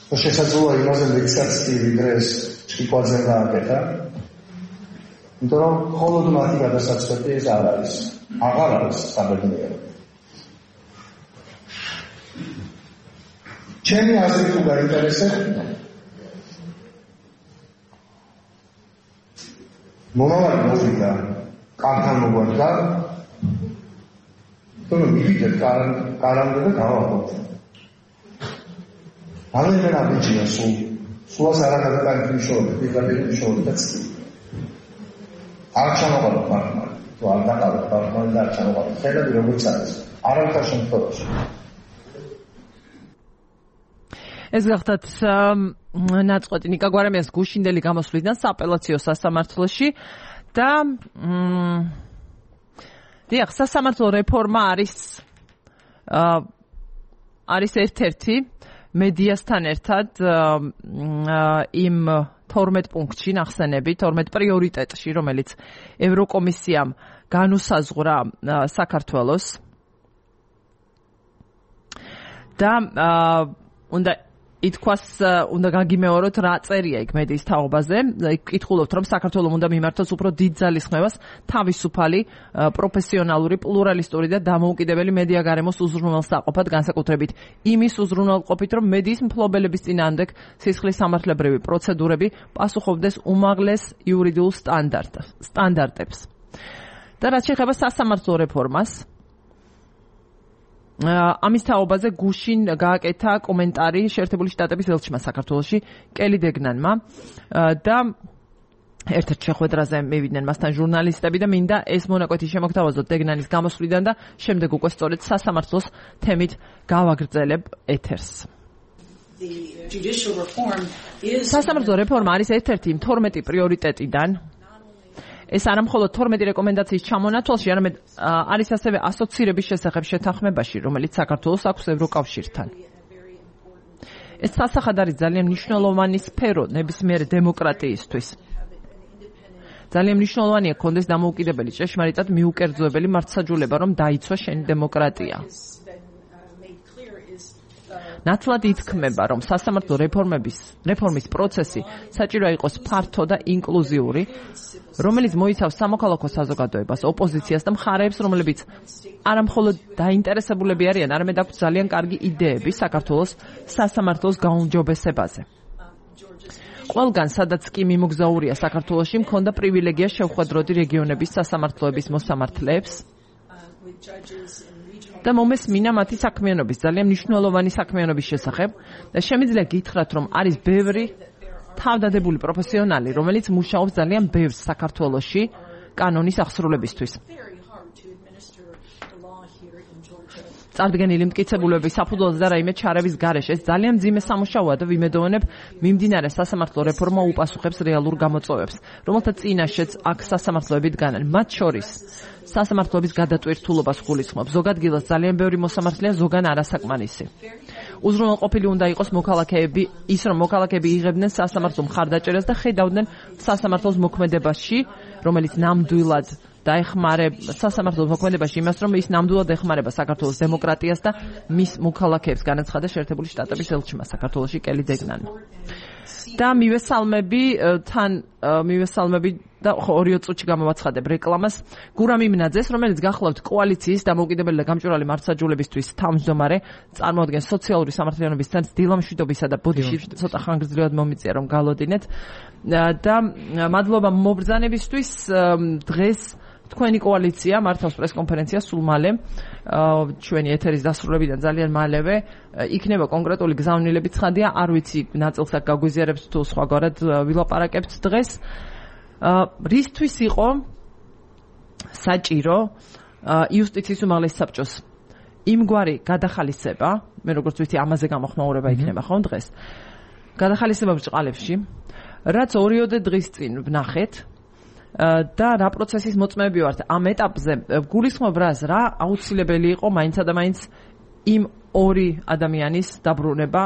შესაძლოა იმაზე მეცაც კი ვიდრე ეს ჩხიკვაძემ გააკეთა. იმიტომ რომ მხოლოდ მათი გადასაწყვეტი ეს არ არის. აღარ არის საბედნიერო. ჩემი აზრით თუ გაინტერესებს, მომავალი მოვიდა, კანთან მოგვარდა, თუმცა მივიდეთ კარამდე და გავაყოთ. აღნიშნა ბიჭია სულას არ გადაგაკეთე მშობლები, პირდაპირ მშობლები და ცი. არ ჩამოყალიბ პარტნიორი, თუ არ დაკავებ პარტნიორი და არ ჩამოყალიბ, ხედავ როგორც არის. არავითარ შემთხვევაში. ეს გახდათ ნაწყვეტი ნიკა გვარამიას გუშინდელი გამოსვლიდან სააპელაციო სასამართლოში და დიახ, სასამართლო რეფორმა არის ერთ-ერთი მედიასთან ერთად იმ 12 პუნქტში ნახსენები, 12 პრიორიტეტში, რომელიც ევროკომისიამ განუსაზღვრა საქართველოს და უნდა გაგიმეოროთ რა წერია იქ მედიის თაობაზე. კითხულობთ, რომ საქართველოს უნდა მიმართოს უფრო დიდ ძალისხმევას თავისუფალი, პროფესიონალური, პლურალისტური და დამოუკიდებელი მედია გარემოს უზრუნველსაყოფად, განსაკუთრებით იმის უზრუნველყოფით, რომ მედიის მფლობელების წინააღმდეგ სისხლის სამართლებრივი პროცედურები პასუხობდეს უმაღლეს იურიდიულ სტანდარტებს. და რაც შეეხება სასამართლო რეფორმას, ამის თაობაზე გუშინ გააკეთა კომენტარი შეერთებული შტატების ელჩმა საქართველოში კელი დეგნანმა და ერთ-ერთ შეხვედრაზე მივიდნენ მასთან ჟურნალისტები და მინდა ეს მონაკვეთი შემოგთავაზოთ დეგნანის გამოსვლიდან და შემდეგ უკვე სწორედ სასამართლოს თემით გავაგრძელებ ეთერს. სასამართლო რეფორმა არის ერთ-ერთი 12 პრიორიტეტიდან. ეს არა მხოლოდ 12 რეკომენდაციის ჩამონათვალში, არამედ არის ასევე ასოცირების შესახებ შეთანხმებაში, რომელიც საქართველოს აქვს ევროკავშირთან. ეს სასახად არის ძალიან მნიშვნელოვანი სფერო ნებისმიერ დემოკრატიისთვის. ძალიან მნიშვნელოვანია კონდეს დამოუკიდებელი ჭეშმარიტად მიუკერძოებელი მართლმსაჯულება, რომ დაიცვა შენი დემოკრატია. ნათლად ითქმება, რომ სასამართლო რეფორმის პროცესი საჭიროა იყოს ფართო და ინკლუზიური, რომელიც მოიცავს სამოქალაქო საზოგადოებას, ოპოზიციას და მხარეებს, რომლებიც არა მხოლოდ დაინტერესებულები არიან, არამედ აქვთ ძალიან კარგი იდეები საქართველოს სასამართლოს გაუმჯობესებაზე. ყველგან, სადაც კი მიმოგზაურია საქართველოში, მქონდა პრივილეგია შევხვედროდი რეგიონების სასამართლოების მოსამართლეებს და მომესმინა მათი საქმიანობის, ძალიან მნიშვნელოვანი საქმიანობის შესახებ და შემიძლია გითხრათ, რომ არის ბევრი თავდადებული პროფესიონალი, რომელიც მუშაობს ძალიან ბევრს საქართველოში კანონის აღსრულებისთვის. წარდგენილი მტკიცებულებების საფუძველზე და რაიმე ჩარევის გარეშე ეს ძალიან მძიმე სამუშაოა და ვიმედოვნებ მიმდინარე სასამართლო რეფორმა უპასუხებს რეალურ გამოწვევებს, რომელთა წინაშეც აქ სასამართლოები დგანან. მათ შორის სასამართლოების გადატვირთულობას გულისხმობს. ზოგადღილას ძალიან ბევრი მოსამართლეა, ზოგან არასაკმარისი. უზრუნველყოფილი უნდა იყოს მოქალაქეები, ის რომ მოქალაქეები იღებდნენ სასამართლო მხარდაჭერას და ხედავდნენ სასამართლოს მოქმედებაში, რომელიც ნამდვილად სასამართლოს მოქმედებაში იმას, რომ ის ნამდვილად ეხმარება საქართველოს დემოკრატიას და მის მოქალაქეებს, განაცხადა შეერთებული შტატების ელჩმა საქართველოში კელი დეგნანმა. და მივესალმები და 2 წუთში გამოვაცხადებ რეკლამას გურამ იმნაძეს, რომელიც გახლავთ კოალიციის დამოუკიდებელი და გამჭვირვალე მართლმსაჯულებისთვის თავმჯდომარე, წარმოადგენს სოციალური სამართლიანობის ცენტრს დილამშვიდობისა და ბოდიში ცოტა ხანგრძლივად მომიწია რომ გალოდინეთ და მადლობა მობრძანებისთვის. დღეს თქვენი კოალიცია მართავს პრესკონფერენციას სულ მალე, ჩვენი ეთერის დასრულებიდან ძალიან მალევე იქნება კონკრეტული გზავნილები ცხადია, არ ვიცი ნაწილს აქ გაგვიზიარებს თუ სხვაგვარად ვილაპარაკებთ დღეს. რისთვის იყო საჭირო იუსტიციის უმაღლესი საბჭოს იმგვარი გადახალისება, მე როგორც ვიცი ამაზე გამოხმაურება იქნება ხომ დღეს, გადახალისება ბრჭყალებში, რაც 2 დღის წინ ვნახეთ და რა პროცესის მოწმეები ვართ ამ ეტაპზე, გულისხმობ რას, რა აუცილებელი იყო მაინცა და მაინც იმ 2 ადამიანის დაბრუნება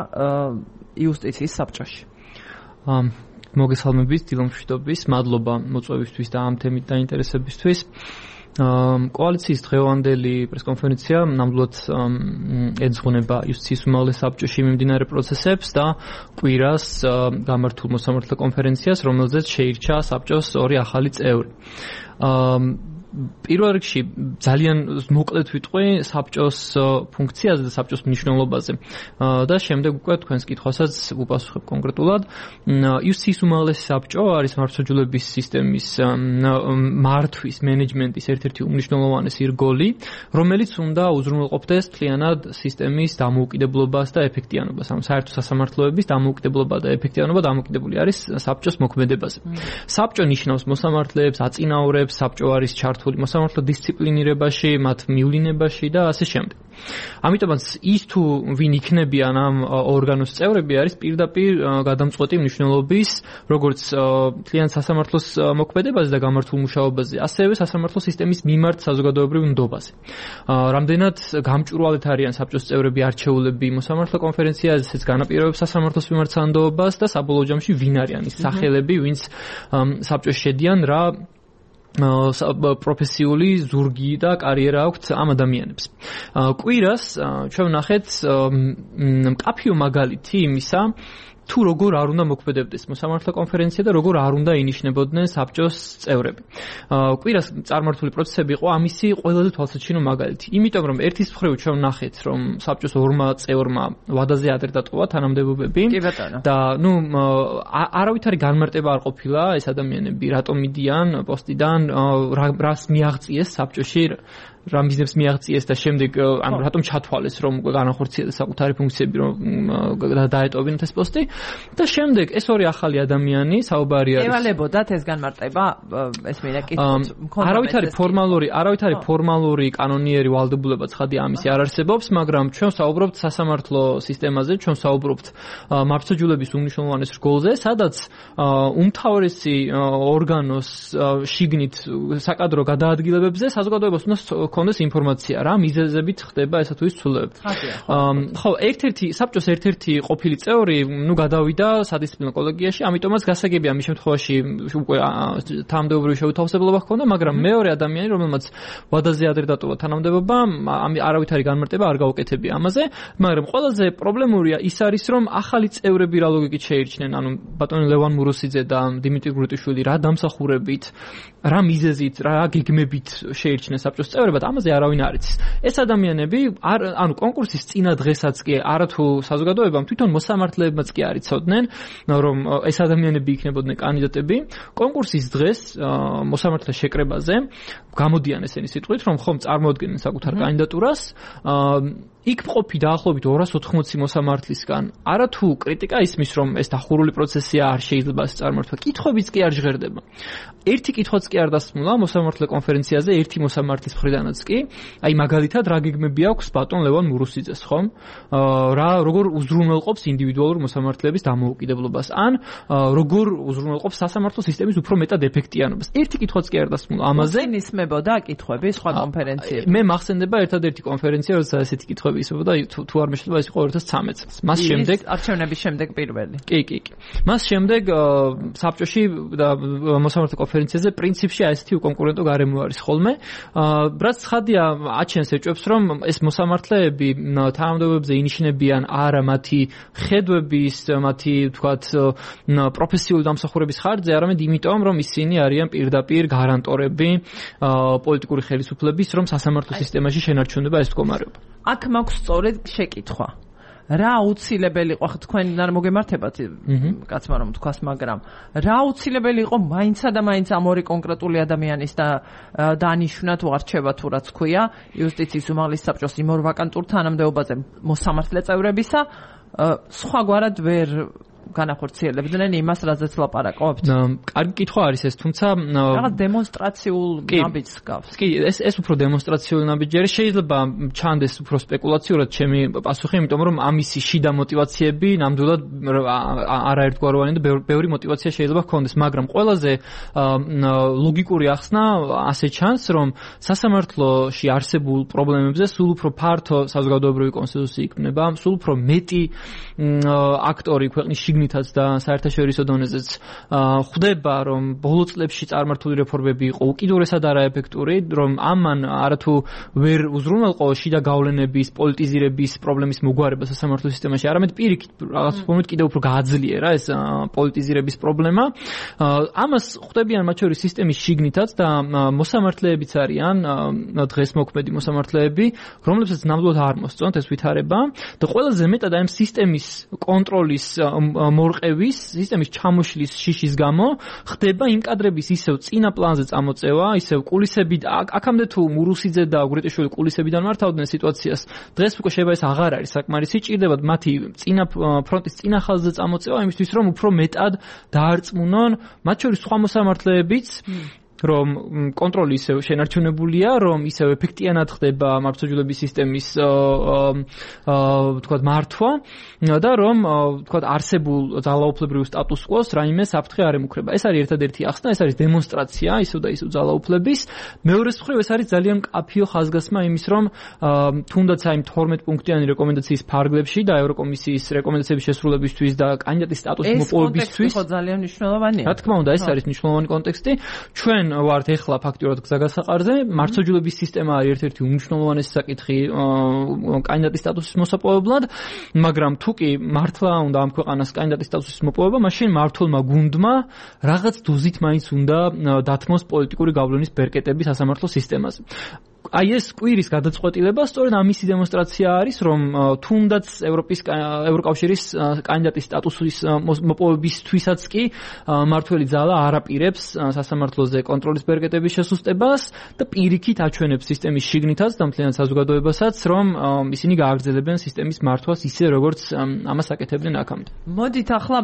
იუსტიციის საბჭოში. მოგესალმებით, დილამშვიდობის, მადლობა მოწვევისთვის და ამ თემით დაინტერესებისთვის. კოალიციის დღევანდელი პრესკონფერენცია ნამდვილად ეძღვნება იუსტიციის უმაღლეს საბჭოში მიმდინარე პროცესებს და კვირას გამართულ მოსამართლე კონფერენციას, რომელზეც შეირჩა საბჭოს 2 ახალი წევრი. პირველ რიგში ძალიან მოკლედ ვიტყვი საბჭოს ფუნქციაზე და საბჭოს მნიშვნელობაზე და შემდეგ უკვე თქვენს კითხვასაც ვუპასუხებ კონკრეტულად. იუსტიციის უმაღლესი საბჭო არის მართლმსაჯულების სისტემის მართვის მენეჯმენტის ერთ-ერთი უმნიშვნელოვანესი რგოლი, რომელიც უნდა უზრუნველყოფდეს მთლიანად სისტემის დამოუკიდებლობას და ეფექტიანობას. ამ საერთო სასამართლოების დამოუკიდებლობა და ეფექტიანობა დამოკიდებული არის საბჭოს მოქმედებაზე. საბჭო ნიშნავს მოსამართლეებს, აწინაურებს, საბჭო არის მოსამართლო დისციპლინირებაში, მათ მივლინებაში და ასე შემდეგ. ამიტომაც ის თუ ვინ იქნებიან ამ ორგანოს წევრები არის პირდაპირ გადამწყვეტი მნიშვნელობის, როგორც მთლიან სასამართლოს მოქმედებაზე და გამართულ მუშაობაზე, ასევე სასამართლო სისტემის მიმართ საზოგადოებრივ ნდობაზე. რამდენად გამჭვირვალეთ არიან საბჭოს წევრები არჩეულები მოსამართლე კონფერენციაზეც განაპირობებს სასამართლოს მიმართ სანდოობას და საბოლოო ჯამში ვინ არიან ის სახელები, ვინც საბჭოში შედიან, რა პროფესიული ზურგი და კარიერა აქვთ ამ ადამიანებს. კვირას ჩვენ ვნახეთ მკაფიო მაგალითი იმისა, თუ როგორ არ უნდა მოქმედებდეს მოსამართლე კონფერენცია და როგორ არ უნდა ინიშნებოდნენ საბჭოს წევრები. კვირას წარმართული პროცესები იყო ამისი ყველაზე თვალსაჩინო მაგალითი. იმიტომ რომ ერთის მხრივ ჩვენ ვნახეთ, რომ საბჭოს ორმა წევრმა ვადაზე ადრე დატოვა თანამდებობები და არავითარი განმარტება არ ყოფილა ეს ადამიანები რატომ მიდიან პოსტიდან, რას მიაღწიეს საბჭოში, რა მიზნებს მიაღწიეს და შემდეგ ანუ რატომ ჩათვალეს რომ განახორციელეს საკუთარი ფუნქციები რომ დაეტოვებინათ ეს პოსტი და შემდეგ ეს ორი ახალი ადამიანი საუბარი არის ევალებოდათ ეს განმარტება ეს მინდა კითხოთ არავითარი ფორმალური კანონიერი ვალდებულება ცხადია ამისი არ არსებობს მაგრამ ჩვენ საუბრობთ სასამართლო სისტემაზე ჩვენ საუბრობთ მართლმსაჯულების უმნიშვნელოვანეს რგოლზე სადაც უმთავრესი ორგანოს შიგნით საკადრო გადაადგილებებზე საზოგადოებას უნდა კონდეს ინფორმაცია რა მიზეზებით ხდება ესა თუ ის ცვლილებები. ხო, საბჭოს ერთ-ერთი ყოფილი წევრი, გადავიდა სადისციპლინო კოლეგიაში, ამიტომაც გასაგებია მის შემთხვევაში უკვე თანამდებობრივი შეუთავსებლობა ჰქონდა, მაგრამ მეორე ადამიანი, რომელმაც ვადაზე ადრე დატოვა თანამდებობა, არავითარი განმარტება არ გაუკეთებია ამაზე, მაგრამ ყველაზე პრობლემურია ის არის, რომ ახალი წევრები რა ლოგიკით შეირჩნენ, ანუ ბატონი ლევან მურუსიძე და დიმიტრი გრუტიშვილი რა დამსახურებით, რა მიზეზით, რა გეგმებით შეირჩნენ საბჭოს წევრებად ამაზე არავინ არ იცის. ეს ადამიანები ანუ კონკურსის წინა დღესაც კი არათუ საზოგადოებამ თვითონ მოსამართლეებმაც კი არ იცოდნენ რომ ეს ადამიანები იქნებოდნენ კანდიდატები. კონკურსის დღეს მოსამართლე შეკრებაზე გამოდიან ესენი სიტყვით რომ ხომ წარმოადგენენ საკუთარ კანდიდატურას იქ მყოფი დაახლოებით 280 მოსამართლისგან არათუ კრიტიკა ისმის რომ ეს დახურული პროცესია არ შეიძლება წარმართვა კითხვებიც კი არ ჟღერდება. ერთი კითხვაც კი არ დასმულა მოსამართლე კონფერენციაზე ერთი მოსამართლის მხრიდანაც კი აი მაგალითად რა გეგმები აქვს ბატონ ლევან მურუსიძეს ხომ როგორ უზრუნველყოფს ინდივიდუალურ მოსამართლეების დამოუკიდებლობას ან როგორ უზრუნველყოფს სასამართლო სისტემის უფრო მეტად ეფექტიანობას ერთი კითხვაც კი არ დასმულა ამაზე ისმებოდა კითხვები სხვა კონფერენციებში მე მახსენდება ერთადერთი კონფერენცია როცა ესეთი კითხვები ისმებოდა თუ არ მეშლება ეს იყო 2013 წელს მას შემდეგ არჩევნების შემდეგ პირველი კი მას შემდეგ საბჭოში და მოსამართლე კონფერენციაზე პრინციპში ესეთი უკონკურენტო გარემო არის ხოლმე რაც ცხადია აჩენს ეჭვებს რომ ეს მოსამართლეები თანამდებობებზე ინიშნებიან არა მათი ხედვების მათი თქვათ პროფესიული დამსახურების ხარჯზე არამედ იმიტომ რომ ისინი არიან პირდაპირ გარანტორები პოლიტიკური ხელისუფლების რომ სასამართლო სისტემაში შენარჩუნდება ეს მდგომარეობა აქ მაქვს სწორედ შეკითხვა რა აუცილებელი იყო თქვენ არ მოგემართებათ კაცმა რომ თქვას მაგრამ რა აუცილებელი იყო მაინცა და მაინც ამ ორი კონკრეტული ადამიანის და დანიშნა თუ არჩევა თუ რაც ქვია იუსტიციის უმაღლეს საბჭოს იმ ორ ვაკანტურ თანამდებობაზე მოსამართლე წევრებისა სხვაგვარად ვერ განახორციელებდნენ იმას რაზეც ლაპარაკობთ. კარგი კითხვა არის ეს, თუმცა რაღაც დემონსტრაციულ ნაბიჯს გავს. კი, ეს უფრო დემონსტრაციული ნაბიჯი არის. შეიძლება ჩანდეს უფრო სპეკულაციურად ჩემი პასუხი, იმიტომ რომ ამისი შიდა მოტივაციები ნამდვილად არაერთგვაროვანი და ბევრი მოტივაცია შეიძლება ჰქონდეს, მაგრამ ყველაზე ლოგიკური ახსნა ასე ჩანს, რომ სასამართლოში არსებულ პრობლემებზე სულ უფრო ფართო საზოგადოებრივი კონსენსუსი იქნება, სულ უფრო მეტი აქტორი ქვეყნის შიგნითაც და საერთაშორისო დონეზეც ხვდება, რომ ბოლო წლებში წარმართული რეფორმები იყო უკიდურესად არაეფექტური, რომ ამან არათუ ვერ უზრუნველყო შიდა გავლენების, პოლიტიზირების პრობლემის მოგვარება სასამართლო სისტემაში, არამედ პირიქით რაღაც ფორმით კიდევ უფრო გააძლიერა ეს პოლიტიზირების პრობლემა. ამას ხვდებიან მათ შორის სისტემის შიგნითაც და მოსამართლეებიც არიან დღეს მოქმედი მოსამართლეები, რომლებსაც ნამდვილად არ მოსწონთ ეს ვითარება და ყველაზე მეტად ამ სისტემის კონტროლის მორყევის, სისტემის ჩამოშლის შიშის გამო ხდება იმ კადრების ისევ წინა პლანზე წამოწევა, ისევ კულისები აქამდე თუ მურუსიძე და გრეტიშვილი კულისებიდან მართავდნენ სიტუაციას, დღეს უკვე შეიძლება ეს აღარ არის საკმარისი, ჭირდებათ მათი წინა ფრონტის წინა ხაზზე წამოწევა იმისთვის, რომ უფრო მეტად დაარწმუნონ მათ შორის სხვა მოსამართლეებიც რომ კონტროლი ისევ შენარჩუნებულია, რომ ისევ ეფექტიანად ხდება მართლმსაჯულების სისტემის თქვათ მართვა და რომ თქვათ არსებულ ძალაუფლებრივ სტატუს კვოს რაიმე საფრთხე არ ემუქრება. ეს არის ერთადერთი ახსნა, ეს არის დემონსტრაცია ისევ და ისევ ძალაუფლების. მეორეს მხრივ ეს არის ძალიან მკაფიო ხაზგასმა იმის, რომ თუნდაც აი 12 პუნქტიანი რეკომენდაციის ფარგლებში და ევროკომისიის რეკომენდაციების შესრულებისთვის და კანდიდატის სტატუსის მოპოვებისთვის ეს კონტექსტი ხო ძალიან მნიშვნელოვანია. რა თქმა უნდა, ეს არის მნიშვნელოვანი კონტექსტი. ჩვენ ვართ ეხლა ფაქტურად გზაგასაყარზე. მართლმსაჯულების სისტემა არის ერთ-ერთი უმნიშვნელოვანესი საკითხი კანდიდატის სტატუსის მოსაპოვებლად, მაგრამ თუ კი მართლა უნდა ამ ქვეყანას კანდიდატის სტატუსის მოპოვება, მაშინ მართლმა გუნდმა რაღაც დოზით მაინც უნდა დათმოს პოლიტიკური გავლენის ბერკეტები სასამართლო სისტემაზე. აი ეს კვირის გადაწყვეტილება სწორედ ამისი დემონსტრაცია არის, რომ თუნდაც ევროკავშირის კანდიდატის სტატუსის მოპოვებისთვისაც კი მმართველი ძალა არ აპირებს სასამართლოზე კონტროლის ბერკეტების შესუსტებას და პირიქით აჩვენებს სისტემის შიგნითაც და მთლიანად საზოგადოებასაც, რომ ისინი გააგრძელებენ სისტემის მართვას ისე, როგორც ამას აკეთებდნენ აქამდე. მოდით ახლა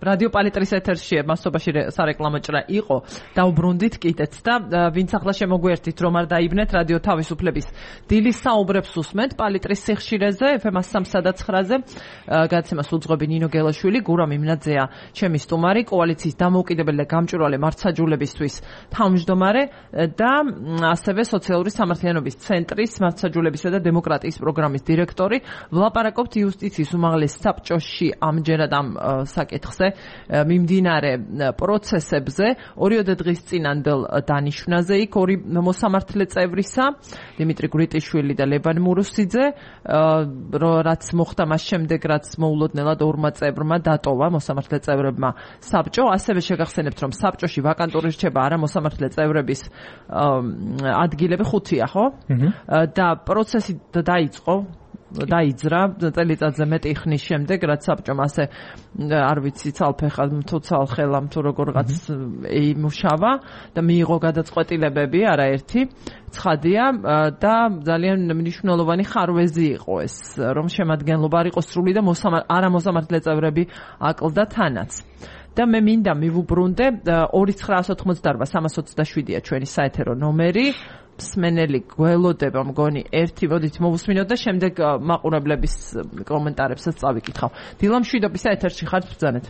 რადიო პალიტრის ეთერში მასობაში სარეკლამო ჭრა იყო, დაუბრუნდით კიდეც და ვინც ახლა შემოგვიერთით, რომ არ დაიბნეთ რადიო თავისუფლების დილის საუბრებს უსმენთ პალიტრის სიხშირეზე FM 103-ზე გადაცემას უძღვები ნინო გელაშვილი, გურამ იმნაძეა ჩემი სტუმარი, კოალიციის დამოუკიდებელი და გამჭვირვალე მართლმსაჯულებისთვის თავმჯდომარე და ასევე სოციალური სამართლიანობის ცენტრის მართლმსაჯულებისა და დემოკრატიის პროგრამის დირექტორი. ვლაპარაკობთ იუსტიციის უმაღლეს საბჭოში ამჯერად ამ საკითხზე მიმდინარე პროცესებზე. 2 დღის წინანდელ დანიშვნაზე იქ ორი მოსამართლე წევრისა, დიმიტრი გრიტიშვილი და ლევან მურუსიძე, რაც მოხდა მას შემდეგ, რაც მოულოდნელად ორმა წევრმა დატოვა მოსამართლე წევრებმა საბჭო. ასევე შეგახსენებთ, რომ საბჭოში ვაკანტური რჩება არა მოსამართლე წევრების ადგილები 5-ია, ხო? და პროცესი დაიძრა წელიწადზე მეტი ხნის შემდეგ, რაც საბჭომ ასე არ ვიცი ცალფეხად თუ ცალხელამ თუ როგორღაც იმუშავა და მიიღო გადაწყვეტილებები არაერთი ცხადია და ძალიან მნიშვნელოვანი ხარვეზი იყო ეს, რომ შემადგენლობა არ იყოს სრული და არამოსამართლე წევრები აკლდა თანაც. და მე მინდა მივუბრუნდე 2988-327-ია ჩვენი საეთერო ნომერი. მსმენელი გველოდება მგონი ერთი, მოდით მოვუსმინოთ და შემდეგ მაყურებლების კომენტარებსაც წავიკითხავ. დილა მშვიდობისა ეთერში ხართ, ბრძანეთ.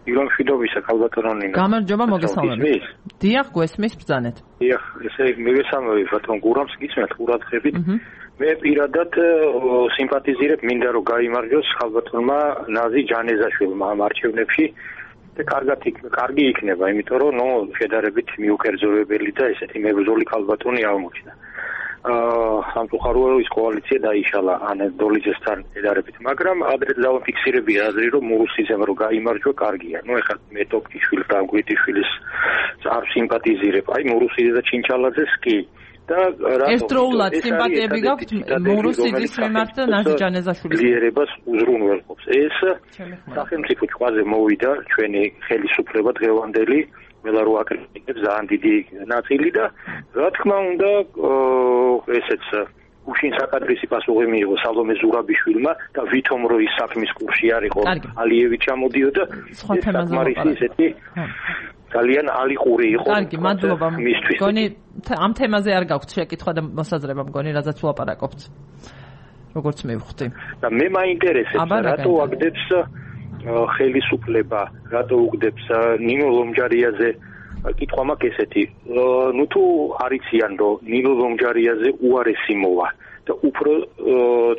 დილა მშვიდობისა, ქალბატონო ნინო. გამარჯობა, მოგესალმებით. დიახ, გვესმის, ბრძანეთ. დიახ, ესე მოგესალმებით, ბატონ გურამს გისმენთ ყურადღებით. მე პირადად სიმპათიზირებ, მინდა რომ გაიმარჯოს ქალბატონმა ნაზი ჯანეზაშვილმა ამ არჩევნებში. და კარგი იქნება, იმიტომ რომ შედარებით მიუკერძოებელი და ესეთი მებრძოლი ქალბატონი აღმოჩნდა. სამწუხაროა ის კოალიცია დაიშალა ანადოლიძესთან შედარებით, მაგრამ ადრე დავაფიქსირებია აზრი, რომ მურუსიძემ რო გაიმარჯვა, კარგია. ეხლა მე ტოქტიშვილს და გვიტიშვილის არ სიმპათიზირებ. აი მურუსიძე და ჩინჩალაძეს კი. და ერთდროულად სიმპათიები გაქვთ მურუსიძის მიმართ და ნაზი ჯანეზაშვილის ლიერებას უზრუნველყოფს. ეს სახელმწიფო ჭყვაზე მოვიდა ჩვენი ხელისუფლება დღევანდელი, მელა რო აკრიტიკებს ძალიან დიდი ნაწილი და რა თქმა უნდა ესეც უშინ საკადრისი პასუხი მიიღო სალომე ზურაბიშვილმა და ვითომ რო ის საქმის კურსში არისო ალიევი ჩამოდიოდა საკმარისი ესეთი ძალიან ალიყური იყო. კარგი, მადლობა. მგონი ამ თემაზე არ გაქვთ შეკითხვა და მოსაზრება, მგონი რაზეც ვლაპარაკობთ. როგორც მივხვდი. და მე მაინტერესებს რატო აგდებს ხელისუფლება, რატო უგდებს ნინო ლომჯარიაზე კითხვა მაქვს ესეთი. თუ არიციან რომ ნინო ლომჯარიაზე უარესი მოვა და უფრო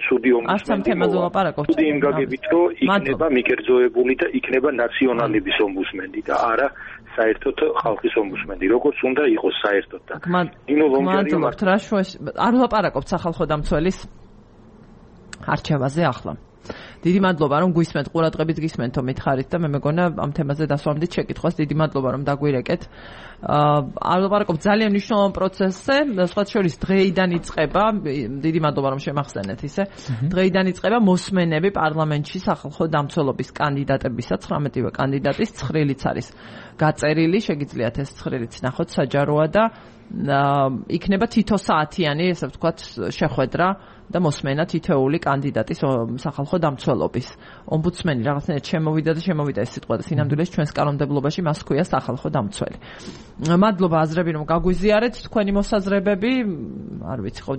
ცუდი ომბუდსმენი ლაპარაკობთ. ცუდი იმ გაგებით რომ იქნება მიკერძოებული და იქნება ნაციონალების ომბუდსმენი და არა საერთოდ ხალხის ომბუდსმენი, როგორც უნდა იყოს საერთოდ და მადლობთ რა შუაში არ ვლაპარაკობთ სახალხო დამცველის არჩევაზე ახლა. დიდი მადლობა რომ გვისმენთ, ყურადღებით გისმენთო მითხარით და მე მეგონა ამ თემაზე დასვამდით შეკითხვას. დიდი მადლობა რომ დაგვირეკეთ. არ ვლაპარაკობთ ძალიან მნიშვნელოვან პროცესზე, სხვათა შორის დღეიდან იწყება, დიდი მადლობა რომ შემახსენეთ ისე. დღეიდან იწყება მოსმენები პარლამენტში სახალხო დამცველობის კანდიდატებისა, 19-ვე კანდიდატის ცხრილიც არის გაწერილი, შეგიძლიათ ეს ცხრილიც ნახოთ, საჯაროა და იქნება თითო საათიანი, ესე ვთქვათ, შეხვედრა და მოსმენა თითოეული კანდიდატის სახალხო დამცველობის. ომბუდსმენი რაღაცნაირად შემოვიდა ეს სიტყვა და სინამდვილეში ჩვენს კანონმდებლობაში მას ჰქვია სახალხო დამცველი. მადლობა აზრები რომ გაგვიზიარეთ თქვენი მოსაზრებები. არ ვიცი ხო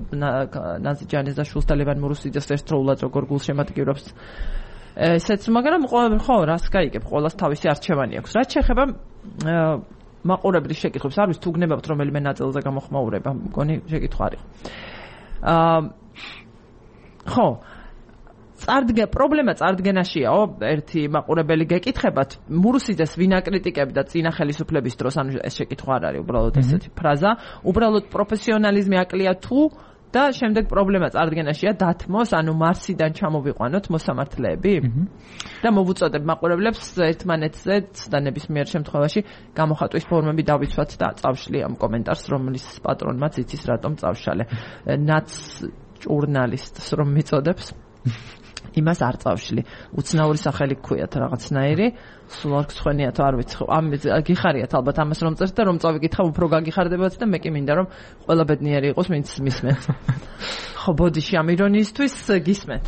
ნაზი ჯანეზაშვილს და ლევან მურუსიძეს ერთდროულად როგორ გულშემატკივრობს ესეც, მაგრამ ხო რას გაიგებ, ყოველას თავისი არჩევანი აქვს. რაც შეეხება მაყურებლის შეკითხვებს, არ ვიცი თუ გნებავთ რომელიმე ნაწილზე გამოხმაურება, მგონი შეკითხვა არის. ხო, პრობლემა წარდგენაშიაო, ერთი მაყურებელი გეკითხებათ, მურუსიძეს ვინ აკრიტიკებდა წინა ხელისუფლების დროს, ანუ ეს შეკითხვა არ არის უბრალოდ ესეთი ფრაზა, უბრალოდ პროფესიონალიზმი აკლია თუ და შემდეგ პრობლემა წარდგენაშია დათმოს, ანუ მარსიდან ჩამოვიყვანოთ მოსამართლეები და მოვუწოდებ მაყურებლებს ერთმანეთზე და ნებისმიერ შემთხვევაში გამოხატვის ფორმები დავიცვათ და წავშლი ამ კომენტარს, რომლის პატრონმაც იცის რატომ წავშალე. ნაც ჟურნალისტს რომ მიწოდებს იმას არ წავშლი. უცნაური სახელი გქვიათ რაღაცნაირი, სულ არ გცხვენიათ, არ ვიცი. ამ გიხარიათ ალბათ ამას რომ წერთ და რომ წავიკითხავ, უფრო გაგიხარდებათ და მე კი მინდა რომ ყველა ბედნიერი იყოს, ვინც მისმენთ. ხო, ბოდიში ამ ირონიისთვის გისმენთ.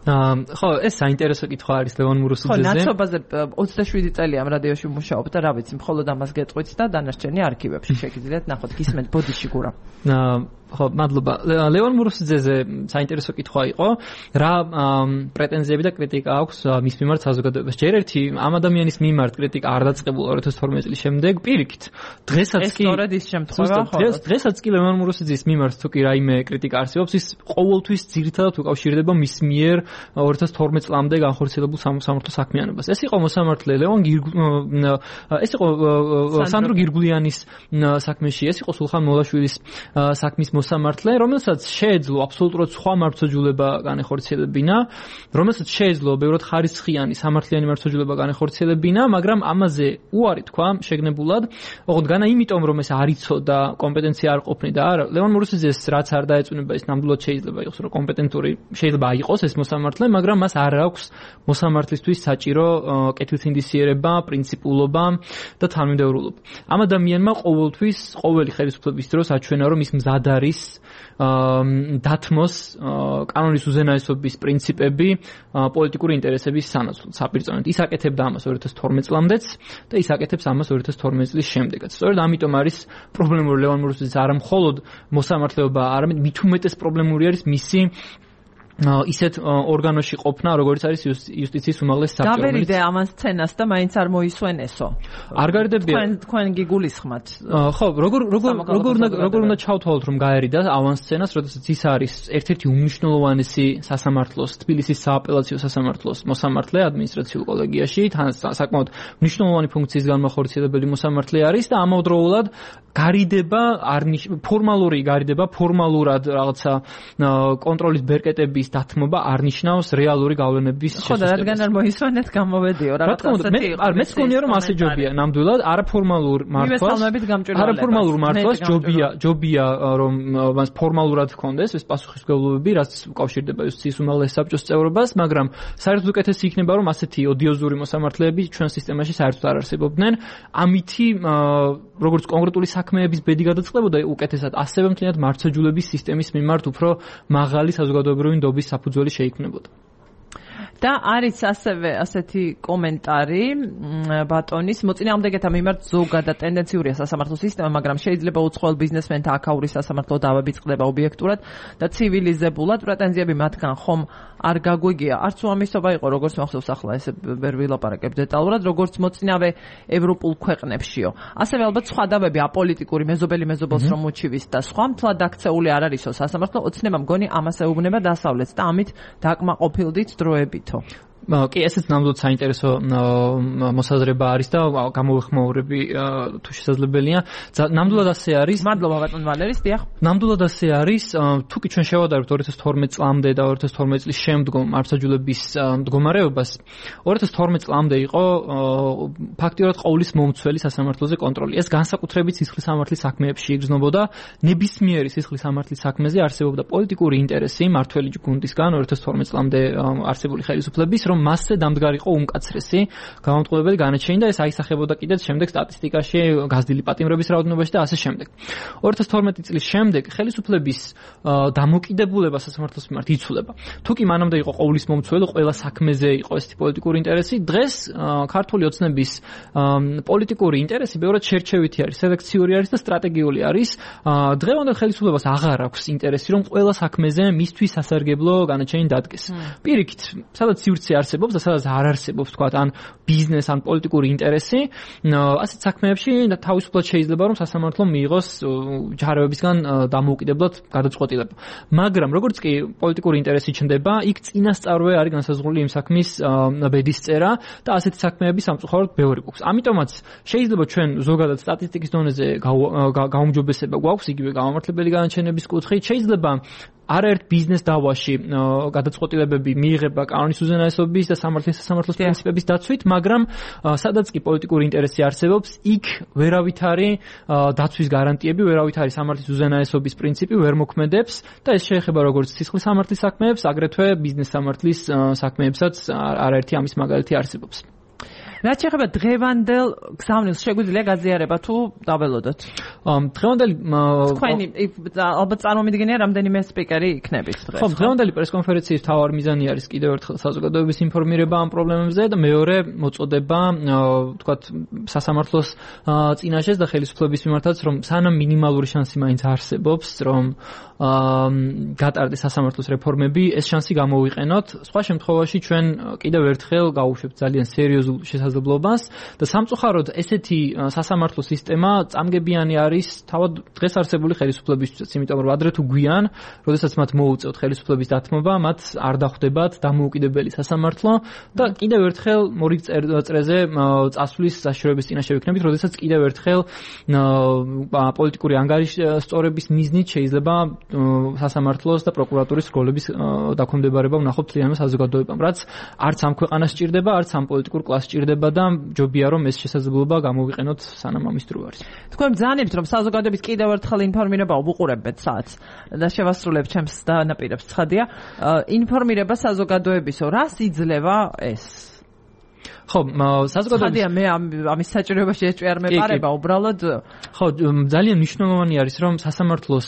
ხო, ეს საინტერესო კითხვა არის ლევან მურუსიძეზე. ხო, ნაცობაზე 27 წელი ამ რადიოში მუშაობ და რა ვიცი, მხოლოდ ამას გეტყვით და დანარჩენი არქივებში შეგიძლიათ ნახოთ. გისმენთ ბოდიში გურა. ხო, მადლობა. ლევან მურუსიძეზე საინტერესო კითხვა იყო, რა პრეტენზიები და კრიტიკა აქვს მის მიმართ საზოგადოებას. ჯერ ერთი ამ ადამიანის მიმართ კრიტიკა არ დაწყებულა 2012 წლის შემდეგ, პირიქით. დღესაც კი სწორედ ის შემთხვევა ხო? დღესაც კი ლევან მურუსიძის მიმართ თუ კი რაიმე კრიტიკა არსებობს, ის ყოველთვის ძირითადად უკავშირდება მის მიერ 2012 წლამდე განხორციელებულ სამართლო საქმიანობას. ეს იყო მოსამართლე ეს იყო სანდრო გირგულიანის საქმეში, ეს იყო სულხან მოლაშვილის საქმის მოსამართლე, რომელსაც შეეძლო აბსოლუტურად სხვა მართლმსაჯულება განეხორციელებინა, რომელსაც შეეძლო ბევრად ხარისხიანი სამართლიანი მართლმსაჯულება განეხორციელებინა, მაგრამ ამაზე უარი თქვა შეგნებულად, ოღონდ განა იმიტომ რომ ეს არ იცოდა, კომპეტენცია არ ყოფნიდა, არა, ლევან მურუსიძეს რაც არ დაეწუნება, ის ნამდვილად შეიძლება იყოს, რომ კომპეტენტური შეიძლება იყოს ეს მოსამართლე, მაგრამ მას არ აქვს მოსამართლისთვის საჭირო კეთილსინდისიერება, პრინციპულობა და თანმიმდევრულობა. ამ ადამიანმა ყოველთვის ყოველი ხელისუფლების დროს აჩვენა, რომ ის მზად არის დათმოს კანონის უზენაესობის პრინციპები პოლიტიკური ინტერესების სანაცვლოდ საპირწონედ. ის აკეთებდა ამას 2012 წლამდეც და ის აკეთებს ამას 2012 წლის შემდეგაც. სწორედ ამიტომ არის პრობლემური ლევან მურუსიძის არა მხოლოდ მოსამართლეობა, არამედ მით უმეტეს პრობლემური არის მისი ისეთ ორგანოში ყოფნა, როგორც არის იუსტიციის უმაღლესი საბჭო. გავერიდე ამან სცენას და მაინც არ მოისვენესო. არ გარიდებია. თქვენ გიგულისხმათ. ხო, როგორ უნდა ჩავთვალოთ, რომ გაერიდა ამან სცენას, როდესაც ის არის ერთ-ერთი უმნიშვნელოვანესი სასამართლოს, თბილისის სააპელაციო სასამართლოს მოსამართლე ადმინისტრაციულ კოლეგიაში, თან საკმაოდ მნიშვნელოვანი ფუნქციის განმახორციელებელი მოსამართლე არის და ამავდროულად გარიდება ფორმალური გარიდება, ფორმალურად რაღაცა კონტროლის ბერკეტების დათმობა არ ნიშნავს რეალური გავლენების შესუსტებას. ხო, და რადგან არ მოისვენეთ, გამოვედიო, რაღაც ასეთი იყო. მეც მგონია რომ ასე ჯობია, ნამდვილად არაფორმალურ მართვას ჯობია რომ მას ფორმალურად ჰქონდეს ეს პასუხისმგებლობები, რაც უკავშირდება იუსტიციის უმაღლეს საბჭოს წევრობას, მაგრამ საერთოდ უკეთესი იქნება რომ ასეთი ოდიოზური მოსამართლეები ჩვენ სისტემაში საერთოდ არ არსებობდნენ. ამითი როგორც კონკრეტული საქმეების ბედი გადაწყდებოდა უკეთესად, ასევე მთლიანად მართლმსაჯულების სისტემის მიმართ უფრო მაღალი საზოგადოებრივი ნდობის საფუძველი შეიქმნებოდა. და არის ასევე ასეთი კომენტარი ბატონის მოწინააღმდეგეთა მიმართ ზოგადად ტენდენციურია სასამართლო სისტემა, მაგრამ შეიძლება უცხოელ ბიზნესმენთა აქაური სასამართლო დავაბიწყდება ობიექტურად და ცივილიზებულად. პრეტენზიები მათგან ხომ არ გაგვიგია. არც უამისობა იყო, როგორც მახსოვს ახლა ესე ვერ ვილაპარაკებ დეტალურად, როგორც მოწინავე ევროპულ ქვეყნებშიო. ასევე ალბათ სხვა დავები აპოლიტიკური მეზობელი მეზობელს რომ უჩივის და სხვა მთლად აქცეული არ არისო სასამართლო, ოცნება მგონი ამას ეუბნება დასავლეთს და ამით დაკმაყოფილდით დროებით. კი, ესეც ნამდვილად საინტერესო მოსაზრება არის და გამოვეხმაურები თუ შესაძლებელია. ნამდვილად ასე არის. მადლობა ბატონ ვალერის, დიახ. ნამდვილად ასე არის. თუ კი ჩვენ შევადარებთ 2012 წლამდე და 2012 წლის შემდგომ მართლმსაჯულების მდგომარეობას, 2012 წლამდე იყო ფაქტიურად ყოვლის მომცველი სასამართლოზე კონტროლი. ეს განსაკუთრებით სისხლის სამართლის საქმეებში იგრძნობოდა. ნებისმიერი სისხლის სამართლის საქმეზე არსებობდა პოლიტიკური ინტერესი მართველი გუნდისგან 2012 წლამდე არსებული ხელისუფლების, რომ მასზე დამდგარიყო უმკაცრესი გამომტყუებელი განაჩენი და ეს აისახებოდა კიდეც შემდეგ სტატისტიკაში, გაზრდილი პატიმრების რაოდენობაში და ასე შემდეგ. 2012 წლის შემდეგ ხელისუფლების დამოკიდებულება სასამართლოს მიმართ იცვლება. თუ კი მანამდე იყო ყოვლის მომცველი, ყველა საქმეზე იყო ესეთი პოლიტიკური ინტერესი, დღეს ქართული ოცნების პოლიტიკური ინტერესი ბევრად შერჩევითი არის, სელექციური არის და სტრატეგიული არის. დღევანდელ ხელისუფლებას აღარ აქვს ინტერესი, რომ ყველა საქმეზე მისთვის სასარგებლო განაჩენი დადგეს. პირიქით, სადაც სივრცე არსებობს და სადაც არ არსებობს თქვა ან ბიზნეს ან პოლიტიკური ინტერესი, ასეთ საქმეებში თავისუფლად შეიძლება რომ სასამართლო მიიღოს ჯარებებისგან დამოუკიდებლად გადაწყვეტილება. მაგრამ როგორც კი პოლიტიკური ინტერესი ჩნდება, იქ წინასწარვე არის განსაზღვრული იმ საქმის ბედისწერა და ასეთი საქმეები სამწუხაროდ ბევრი გვაქვს. ამიტომაც შეიძლება ჩვენ ზოგადად სტატისტიკის დონეზე გაუმჯობესება გვაქვს იგივე გამამართლებელი განაჩენების კუთხით, შეიძლება არაერთ ბიზნეს დავაში გადაწყვეტილებები მიიღება კანონის უზენაესობის და სასამართლოს პრინციპების დაცვით, მაგრამ სადაც კი პოლიტიკური ინტერესი არსებობს, იქ ვერავითარი დაცვის გარანტიები, ვერავითარი სამართლის უზენაესობის პრინციპი ვერ მოქმედებს და ეს შეეხება როგორც სისხლის სამართლის საქმეებს, აგრეთვე ბიზნეს სამართლის საქმეებსაც არაერთი ამის მაგალითი არსებობს. რაც შეეხება დღევანდელ გზავნილს, შეგვიძლია გაზიარება თუ დაველოდოთ? დღევანდელი თქვენი ალბათ წარმომიდგენია რამდენიმე სპიკერი იქნებით დღეს. ხო, დღევანდელი პრესკონფერენციის მთავარი მიზანი არის კიდევ ერთხელ საზოგადოების ინფორმირება ამ პრობლემებზე და მეორე მოწოდება, თქვათ, სასამართლოს წინაშეს და ხელისუფლების მიმართაც, რომ სანამ მინიმალური შანსი მაინც არსებობს, რომ გატარდეს სასამართლოს რეფორმები, ეს შანსი გამოვიყენოთ. სხვა შემთხვევაში ჩვენ კიდევ ერთხელ გავუშვებთ ძალიან სერიოზულ შესაძლებლობას და სამწუხაროდ ესეთი სასამართლო სისტემა წამგებიანი არის თავად დღეს არსებული ხელისუფლებისთვის, იმიტომ რომ ადრე თუ გვიან, როდესაც მათ მოუწევთ ხელისუფლების დათმობა, მათ არ დახვდებათ დამოუკიდებელი სასამართლო და კიდევ ერთხელ მორი წრეზე წასვლის საშუალების წინაშე ვიქნებით, როდესაც კიდევ ერთხელ პოლიტიკური ანგარიშსწორების მიზნით შეიძლება სასამართლოს და პროკურატურის როლების დაქვემდებარება ვნახოთ მთლიანმა საზოგადოებამ, რაც არც ამ ქვეყანას სჭირდება, არც ამ პოლიტიკურ კლასს სჭირდება და ჯობია რომ ეს შესაძლებლობა გამოვიყენოთ სანამ ამის დრო არის. თქვენ ბრძანებთ რომ საზოგადოების კიდევ ერთხელ ინფორმირება ვუყურებთ საათს და შევასრულებ ჩემს დანაპირებს ცხადია. ინფორმირება საზოგადოებისო, რას იძლევა ეს? ხო, საზოგადოების ხადია მე ამის საჭიროებაში ეჭვი არ მეპარება უბრალოდ. ხო, ძალიან მნიშვნელოვანი არის რომ სასამართლოს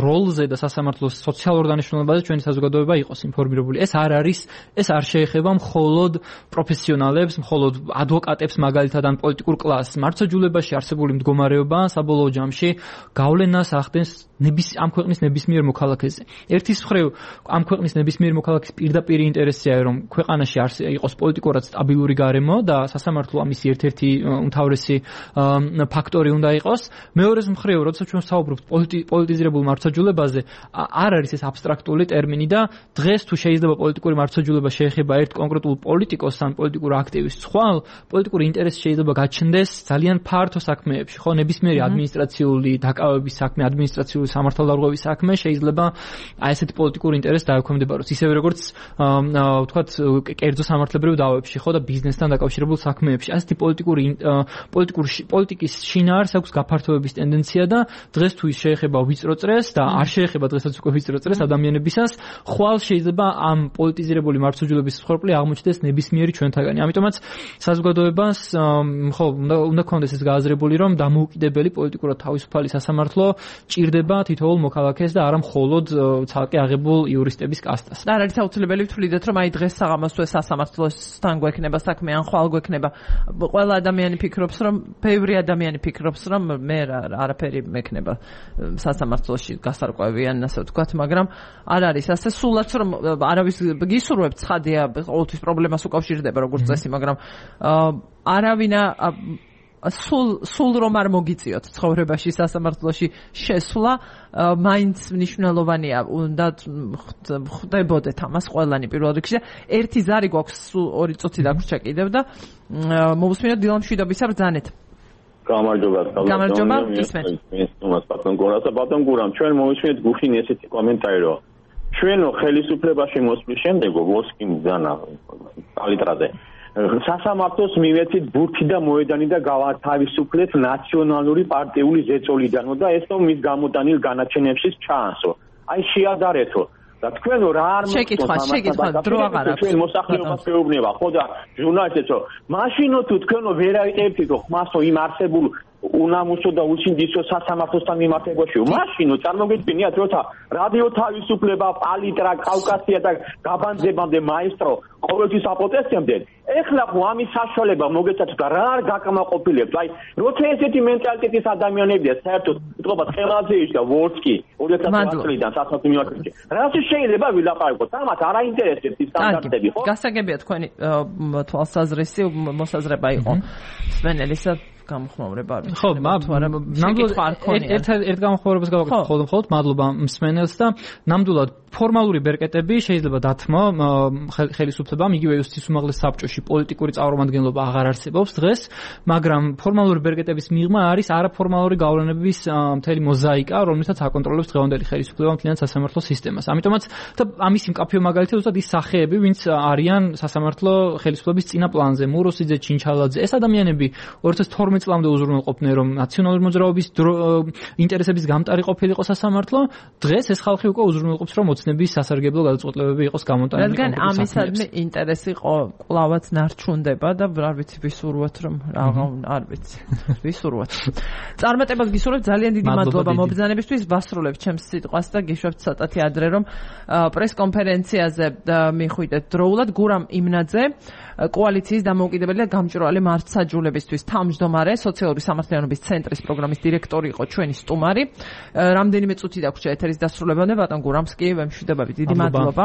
როლზე და სასამართლოს სოციალურ დანიშნულებაზე ჩვენი საზოგადოება იყოს ინფორმირებული. ეს არ შეეხება მხოლოდ პროფესიონალებს, მხოლოდ ადვოკატებს მაგალითად ან პოლიტიკურ კლასს. მართლმსაჯულებაში არსებული მდგომარეობა საბოლოო ჯამში გავლენას ახდენს ამ ქვეყნის ნებისმიერ მოქალაქეზე. ერთის მხრივ ამ ქვეყნის ნებისმიერ მოქალაქის პირდაპირი ინტერესია რომ ქვეყანაში იყოს პოლიტიკურად სტაბილური გარემო და სასამართლო ამის ერთ-ერთი უმთავრესი ფაქტორი უნდა იყოს. მეორეს მხრივ, როდესაც ჩვენ ვსაუბრობთ პოლიტიზირებულ მართლმსაჯულებაზე, არ არის ეს აბსტრაქტული ტერმინი და დღეს თუ შეიძლება პოლიტიკური მართლმსაჯულება შეეხება ერთ კონკრეტულ პოლიტიკოს ან პოლიტიკურ აქტივისტს, ხვალ პოლიტიკური ინტერესი შეიძლება გაჩნდეს ძალიან ფართო საქმეებში, ხო, ნებისმიერი ადმინისტრაციული დაკავების საქმე, ადმინისტრაციული სამართალდარღვევის საქმე შეიძლება აი ესეთი პოლიტიკური ინტერესი დაექვემდებაროს, ისევე როგორც ვთქვათ, კერძო სამართლებრივ დავებში, ხო, და ბიზნესთან დაკავშირებულ საქმეებში. ასეთი პოლიტიკის შინაარს აქვს გაფართოების ტენდენცია და დღეს თუ ის შეეხება ვიწრო წრეს და არ შეეხება დღესაც უკვე ვიწრო წრეს ადამიანებისას, ხვალ შეიძლება ამ პოლიტიზირებული მართლმსაჯულების მსხვერპლი აღმოჩნდეს ნებისმიერი ჩვენთაგანი. ამიტომაც საზოგადოებას ხო უნდა ქონდეს ეს გააზრებული, რომ დამოუკიდებელი პოლიტიკურად თავისუფალი სასამართლო ჭირდება თითოეულ მოქალაქეს და არა მხოლოდ ცალკე აღებულ იურისტების კასტას. და არ არის აუცილებელი ვთვლიდეთ, რომ აი დღეს საღამოს თუ სასამართლოსთან გვექნება საქმე ან ხვალ გვექნება. ყველა ადამიანი ფიქრობს, რომ ბევრი ადამიანი ფიქრობს, რომ მე არაფერი მექნება სასამართლოში გასარკვევი ან ასე ვთქვათ, მაგრამ არ არის ასე. სულაც რომ არავის გისურვებთ, ცხადია, ყოველთვის პრობლემას უკავშირდება როგორც წესი, მაგრამ არავინა სულ რომ არ მოგიწიოთ ცხოვრებაში სასამართლოში შესვლა, მაინც მნიშვნელოვანია, უნდა ხდებოდეთ ამას ყველანი პირველ რიგში. ერთი ზარი გვაქვს, სულ 2 წუთი დაგვრჩა კიდევ და მოვუსმინოთ დილა მშვიდობისა ბრძანეთ. გამარჯობა, ისმენთ. ბატონ გურამ, ჩვენ მოვისმინეთ გუშინ ესეთი კომენტარი, რომ ჩვენო ხელისუფლებაში მოსვლის შემდეგ ვოსკი მძანა კალიტრაზე სასამართლოს მივეცით ბურთი და მოედანი და გავათავისუფლეთ ნაციონალური პარტიული ზეწოლიდან და ეს რომ მის გამოტანილ განაჩენებშიც ჩაანსო. აი შეადარეთო და თქვენო რა არ შეკითხვა დრო აღარ აქვს. ჩვენ მოსახლეობას მეუბნება ხო და ჟურნალისტებო, მაშინო თუ თქვენო ვერ აიყებთით ხმასო იმ არსებულ უნამუსო და უსინდისო სასამართლოსთან მიმართებაშიო. მაშინ წარმოგიდგენიათ, როცა რადიო თავისუფლება, პალიტრა, კავკასია და გაბანძებამდე მაესტრო ყოველთვის აპოტესტებდნენ. ეხლა ხო ამის საშუალება მოგეცათ და რა არ გაკმაყოფილებს. აი, როცა ესეთი მენტალიტეტის ადამიანებია, საერთოდ ვიტყობათ ხელაძეიშვილი და ვორცკი 2008 წლიდან სასამართლო მიმართებაში. რაც შეიძლება ვილაპარაკოთ, ამათ არ აინტერესებს ის სტანდარტები, ხო? გასაგებია თქვენი თვალსაზრისი მოსაზრება იყო. სვენელისა გამხმოვრება არის. ხო, ნამდვილად ერთ გამხმოვრებას გავაკეთე მხოლოდ მადლობა მსმენელს და ნამდვილად ფორმალური ბერკეტები შეიძლება დათმო ხელისუფლებამ, იგივე იუსტის უმაღლეს საბჭოში პოლიტიკური წარმომადგენლობა აღარ არსებობს დღეს, მაგრამ ფორმალური ბერკეტების მიღმა არის არაფორმალური გავლენების მთელი მოზაიკა, რომელსაც აკონტროლებს დღევანდელი ხელისუფლება მთლიან სასამართლო სისტემას. ამიტომაც და ამის მკაფიო მაგალითია ზუსტად ის სახეები, ვინც არიან სასამართლო ხელისუფლების წინა პლანზე, მუროსიძე, ჩინჩალაძე. ეს ადამიანები 2012 წლამდე უზრუნველყოფდნენ, რომ ნაციონალური მოძრაობის ინტერესების გამტარი ყოფილიყო სასამართლო, დღეს ეს ხალხი უკვე უზრუნველყოფს, რომ ოცნების სასარგებლო გადაწყვეტილებები იყოს გამოტანილი. რადგან ამისადმი ინტერესი ყლავაც ნარჩუნდება და არ ვიცი ვისურვოთ, რომ არ ვიცი. ვისურვოთ. წარმატებას გისურვებთ, ძალიან დიდი მადლობა მობრძანებისთვის, ვასრულებ ჩემს სიტყვას და გიშვებთ ცოტათი ადრე, რომ პრესკონფერენციაზე მიხვიდეთ დროულად გურამ იმნაძე, კოალიციის დამოუკიდებელი და გამჭვირვალე მართლმსაჯულებისთვის თავმჯდომარე, სოციალური სამართლიანობის ცენტრის პროგრამის დირექტორი იყო ჩვენი სტუმარი. რამდენიმე წუთი დაგვრჩა ეთერის დასრულებამდე, ბატონ გურამს კი ვემშვიდობებით. დიდი მადლობა.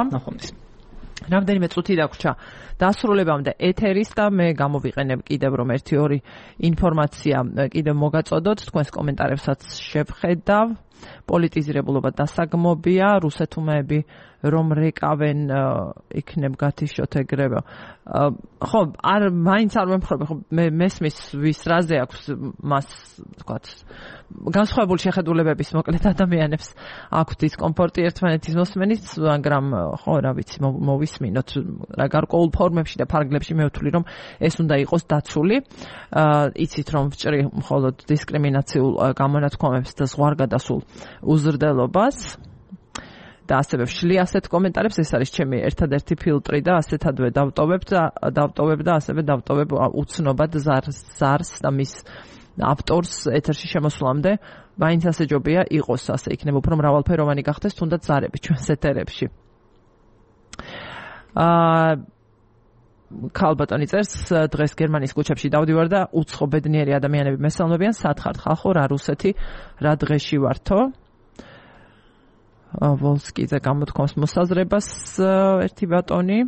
რამდენიმე წუთი დაგვრჩა დასრულებამდე ეთერის და მე გამოვიყენებ კიდევ რომ 1-2 ინფორმაცია კიდევ მოგაწოდოთ, თქვენს კომენტარებსაც შევხედავ. პოლიტიზირებულობა დასაგმობია, რუსეთუმეები რომ რეკავენ იქნებ გათიშოთ ეგრევე. ხო, მაინც არ ვემხრობი, ხო მესმის ვის რაზე აქვს მას, თქვათ, განსხვავებული შეხედულებების მოკლედ ადამიანებს აქვთ დისკომფორტი ერთმანეთის მოსმენით, მაგრამ ხო, რა ვიცი, მოვისმინოთ რა გარკვეულ ფორმებში და ფარგლებში მე ვთვლი, რომ ეს უნდა იყოს დაცული. იცით რომ ვჭრი მხოლოდ დისკრიმინაციულ გამონათქვამებს და ზღვარგადასულ უზრდელობას. და ასევე ვშლი ასეთ კომენტარებს, ეს არის ჩემი ერთადერთი ფილტრი და ასეთადვე დავტოვებ და ასევე დავტოვებ უცნობად ზარს და მის ავტორს ეთერში შემოსვლამდე, მაინც ასე ჯობია იყოს, ასე იქნება უფრო მრავალფეროვანი გახდეს თუნდაც ზარები ჩვენს ეთერებში. ქალბატონი წერს, დღეს გერმანიის ქუჩებში დავდივარ და უცხო ბედნიერი ადამიანები მესალმებიან, სათხართ ხალხო, რა რუსეთი, რა დღეში ვართო. ვოლსკიძე გამოთქვამს მოსაზრებას ერთი ბატონი,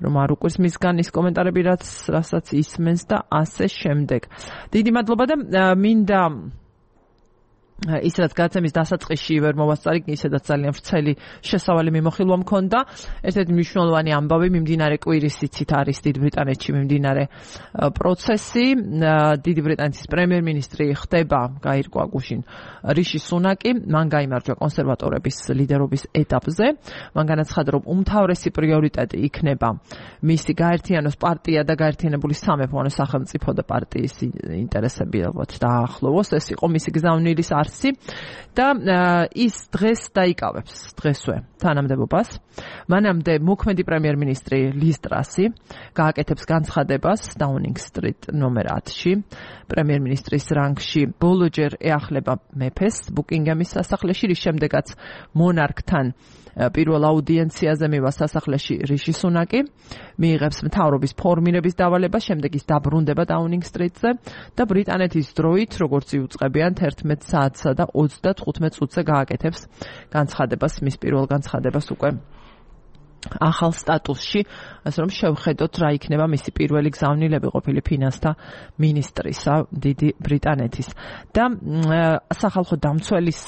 რომ არ უკვირს მისგან ის კომენტარები, რასაც ისმენს და ასე შემდეგ. დიდი მადლობა და მინდა ისაც გაცემის დასაწყისში ვერ მოვასწარი, ისედაც ძალიან ვრცელი შესავალი მიმოხილვა მქონდა. ერთ-ერთი მნიშვნელოვანი ამბავი მიმდინარე კვირის იცით არის დიდ ბრიტანეთში მიმდინარე პროცესი. დიდი ბრიტანეთის პრემიერ-მინისტრი ხდება გაირკვა გუშინ რიში სუნაკი, მან გაიმარჯვა კონსერვატორების ლიდერობის ეტაპზე. მან განაცხადა, რომ უმთავრესი პრიორიტეტი იქნება მისი გაერთიანოს პარტია და გაერთიანებული სამეფო, ანუ სახელმწიფო და პარტიის ინტერესები ალბათ დაახლოვოს. ეს იყო მისი გზავნილის და ის დღეს დაიკავებს დღესვე თანამდებობას. მანამდე მოქმედი პრემიერ-მინისტრი ლის ტრასი გააკეთებს განცხადებას დაუნინგ სტრიტ ნომერ 10-ში. პრემიერ-მინისტრის რანგში ბოლოჯერ ეახლება მეფეს ბუკინგემის სასახლეში, რის შემდეგაც მონარქთან პირველ აუდიენციაზე მივა სასახლეში რიში სუნაკი, მიიღებს მთავრობის ფორმირების დავალებას, შემდეგ ის დაბრუნდება დაუნინგ სტრიტზე და ბრიტანეთის დროით, როგორც იუწყებიან 11 საათსა და 35 წუთზე გააკეთებს განცხადებას, მის პირველ განცხადებას უკვე ახალ სტატუსში, ასე რომ შევხედოთ რა იქნება მისი პირველი გზავნილები ყოფილი ფინანსთა მინისტრისა დიდი ბრიტანეთის. და სახალხო დამცველის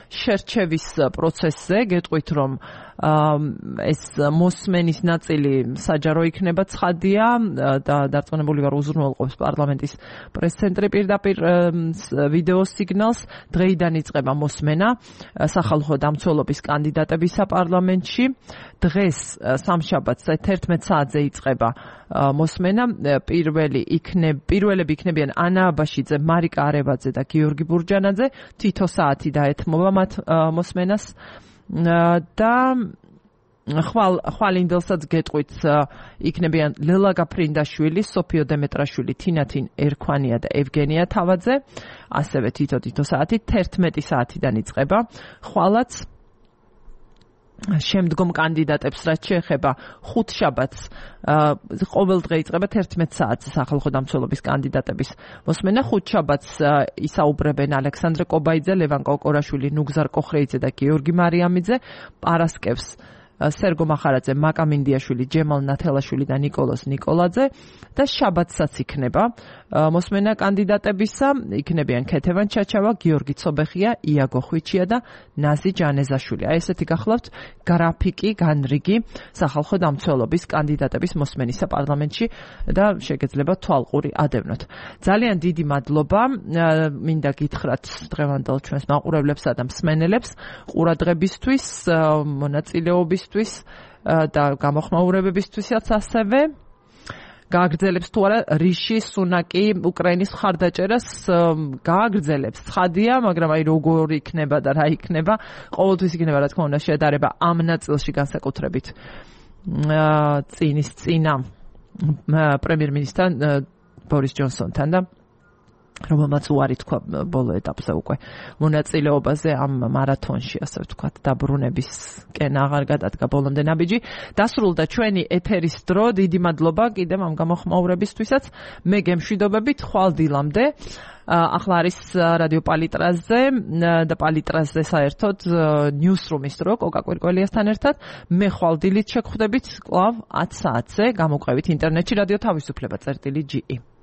შერჩევის პროცესზე გეტყვით, რომ ეს მოსმენის ნაწილი საჯარო იქნება ცხადია და დარწმუნებული ვარ უზრუნველყოფს პარლამენტის პრეს-ცენტრი პირდაპირ ვიდეო სიგნალს. დღეიდან იწყება მოსმენა სახალხო დამცველობის კანდიდატებისა პარლამენტში. დღეს სამშაბათს 11 საათზე იწყება მოსმენა. პირველები იქნებიან ანა აბაშიძე, მარიკა არევაძე და გიორგი ბურჯანაძე. თითო საათი დაეთმობა მათ მოსმენას და ხვალინდელსაც გეტყვით იქნებიან ლელა გაფრინდაშვილი, სოფიო დემეტრაშვილი, თინათინ ერქვანია და ევგენია თავაძე. ასევე თითო საათი 11 საათიდან იწყება. ხვალაც შემდგომ კანდიდატებს რაც შეეხება ხუთშაბათს ყოველ დღე იწყება 11 საათზე სახალხო დამცველობის კანდიდატების მოსმენა. ხუთშაბათს ისაუბრებენ ალექსანდრე კობაიძე, ლევან კოკორაშვილი, ნუგზარ კოხრეიძე და გიორგი მარიამიძე. პარასკევს სერგო მახარაძე, მაკა მინდიაშვილი, ჯემალ ნათელაშვილი და ნიკოლოზ ნიკოლაძე და შაბათსაც იქნება მოსმენა კანდიდატებისა. იქნებიან ქეთევან ჩაჩავა, გიორგი ცობეხია, იაგო ხვიჩია და ნაზი ჯანეზაშვილი. აი ესეთი გახლავთ გრაფიკი, განრიგი სახალხო დამცველობის კანდიდატების მოსმენისა პარლამენტში და შეგეძლება თვალყური ადევნოთ. ძალიან დიდი მადლობა მინდა გითხრათ დღევანდელ ჩვენს მაყურებლებსა და მსმენელებს ყურადღებისთვის, მონაწილეობისთვის და გამოხმაურებებისთვისაც ასევე. გააგრძელებს თუ არა რიში სუნაკი უკრაინის მხარდაჭერას გააგრძელებს. ცხადია, მაგრამ აი როგორ იქნება და რა იქნება, ყოველთვის იქნება რა თქმა უნდა შედარება ამ ნაწილში განსაკუთრებით წინა პრემიერ-მინისტრთან ბორის ჯონსონთან და რომელმაც უარი თქვა ბოლო ეტაპზე უკვე მონაწილეობაზე ამ მარათონში, ასე ვთქვათ, დაბრუნებისკენ აღარ გადადგა ბოლომდე ნაბიჯი. დასრულდა ჩვენი ეთერის დრო. დიდი მადლობა კიდევ ამ გამოხმაურებისთვისაც. მე გემშვიდობებით ხვალ დილამდე. ახლა არის რადიო პალიტრაზე და პალიტრაზე საერთოდ ნიუსრუმის დრო კოკა კვირკველიასთან ერთად. მე ხვალ დილით შეგხვდებით კვლავ 10 საათზე. გამოყვებით ინტერნეტში რადიო თავისუფლება წერტილი GE.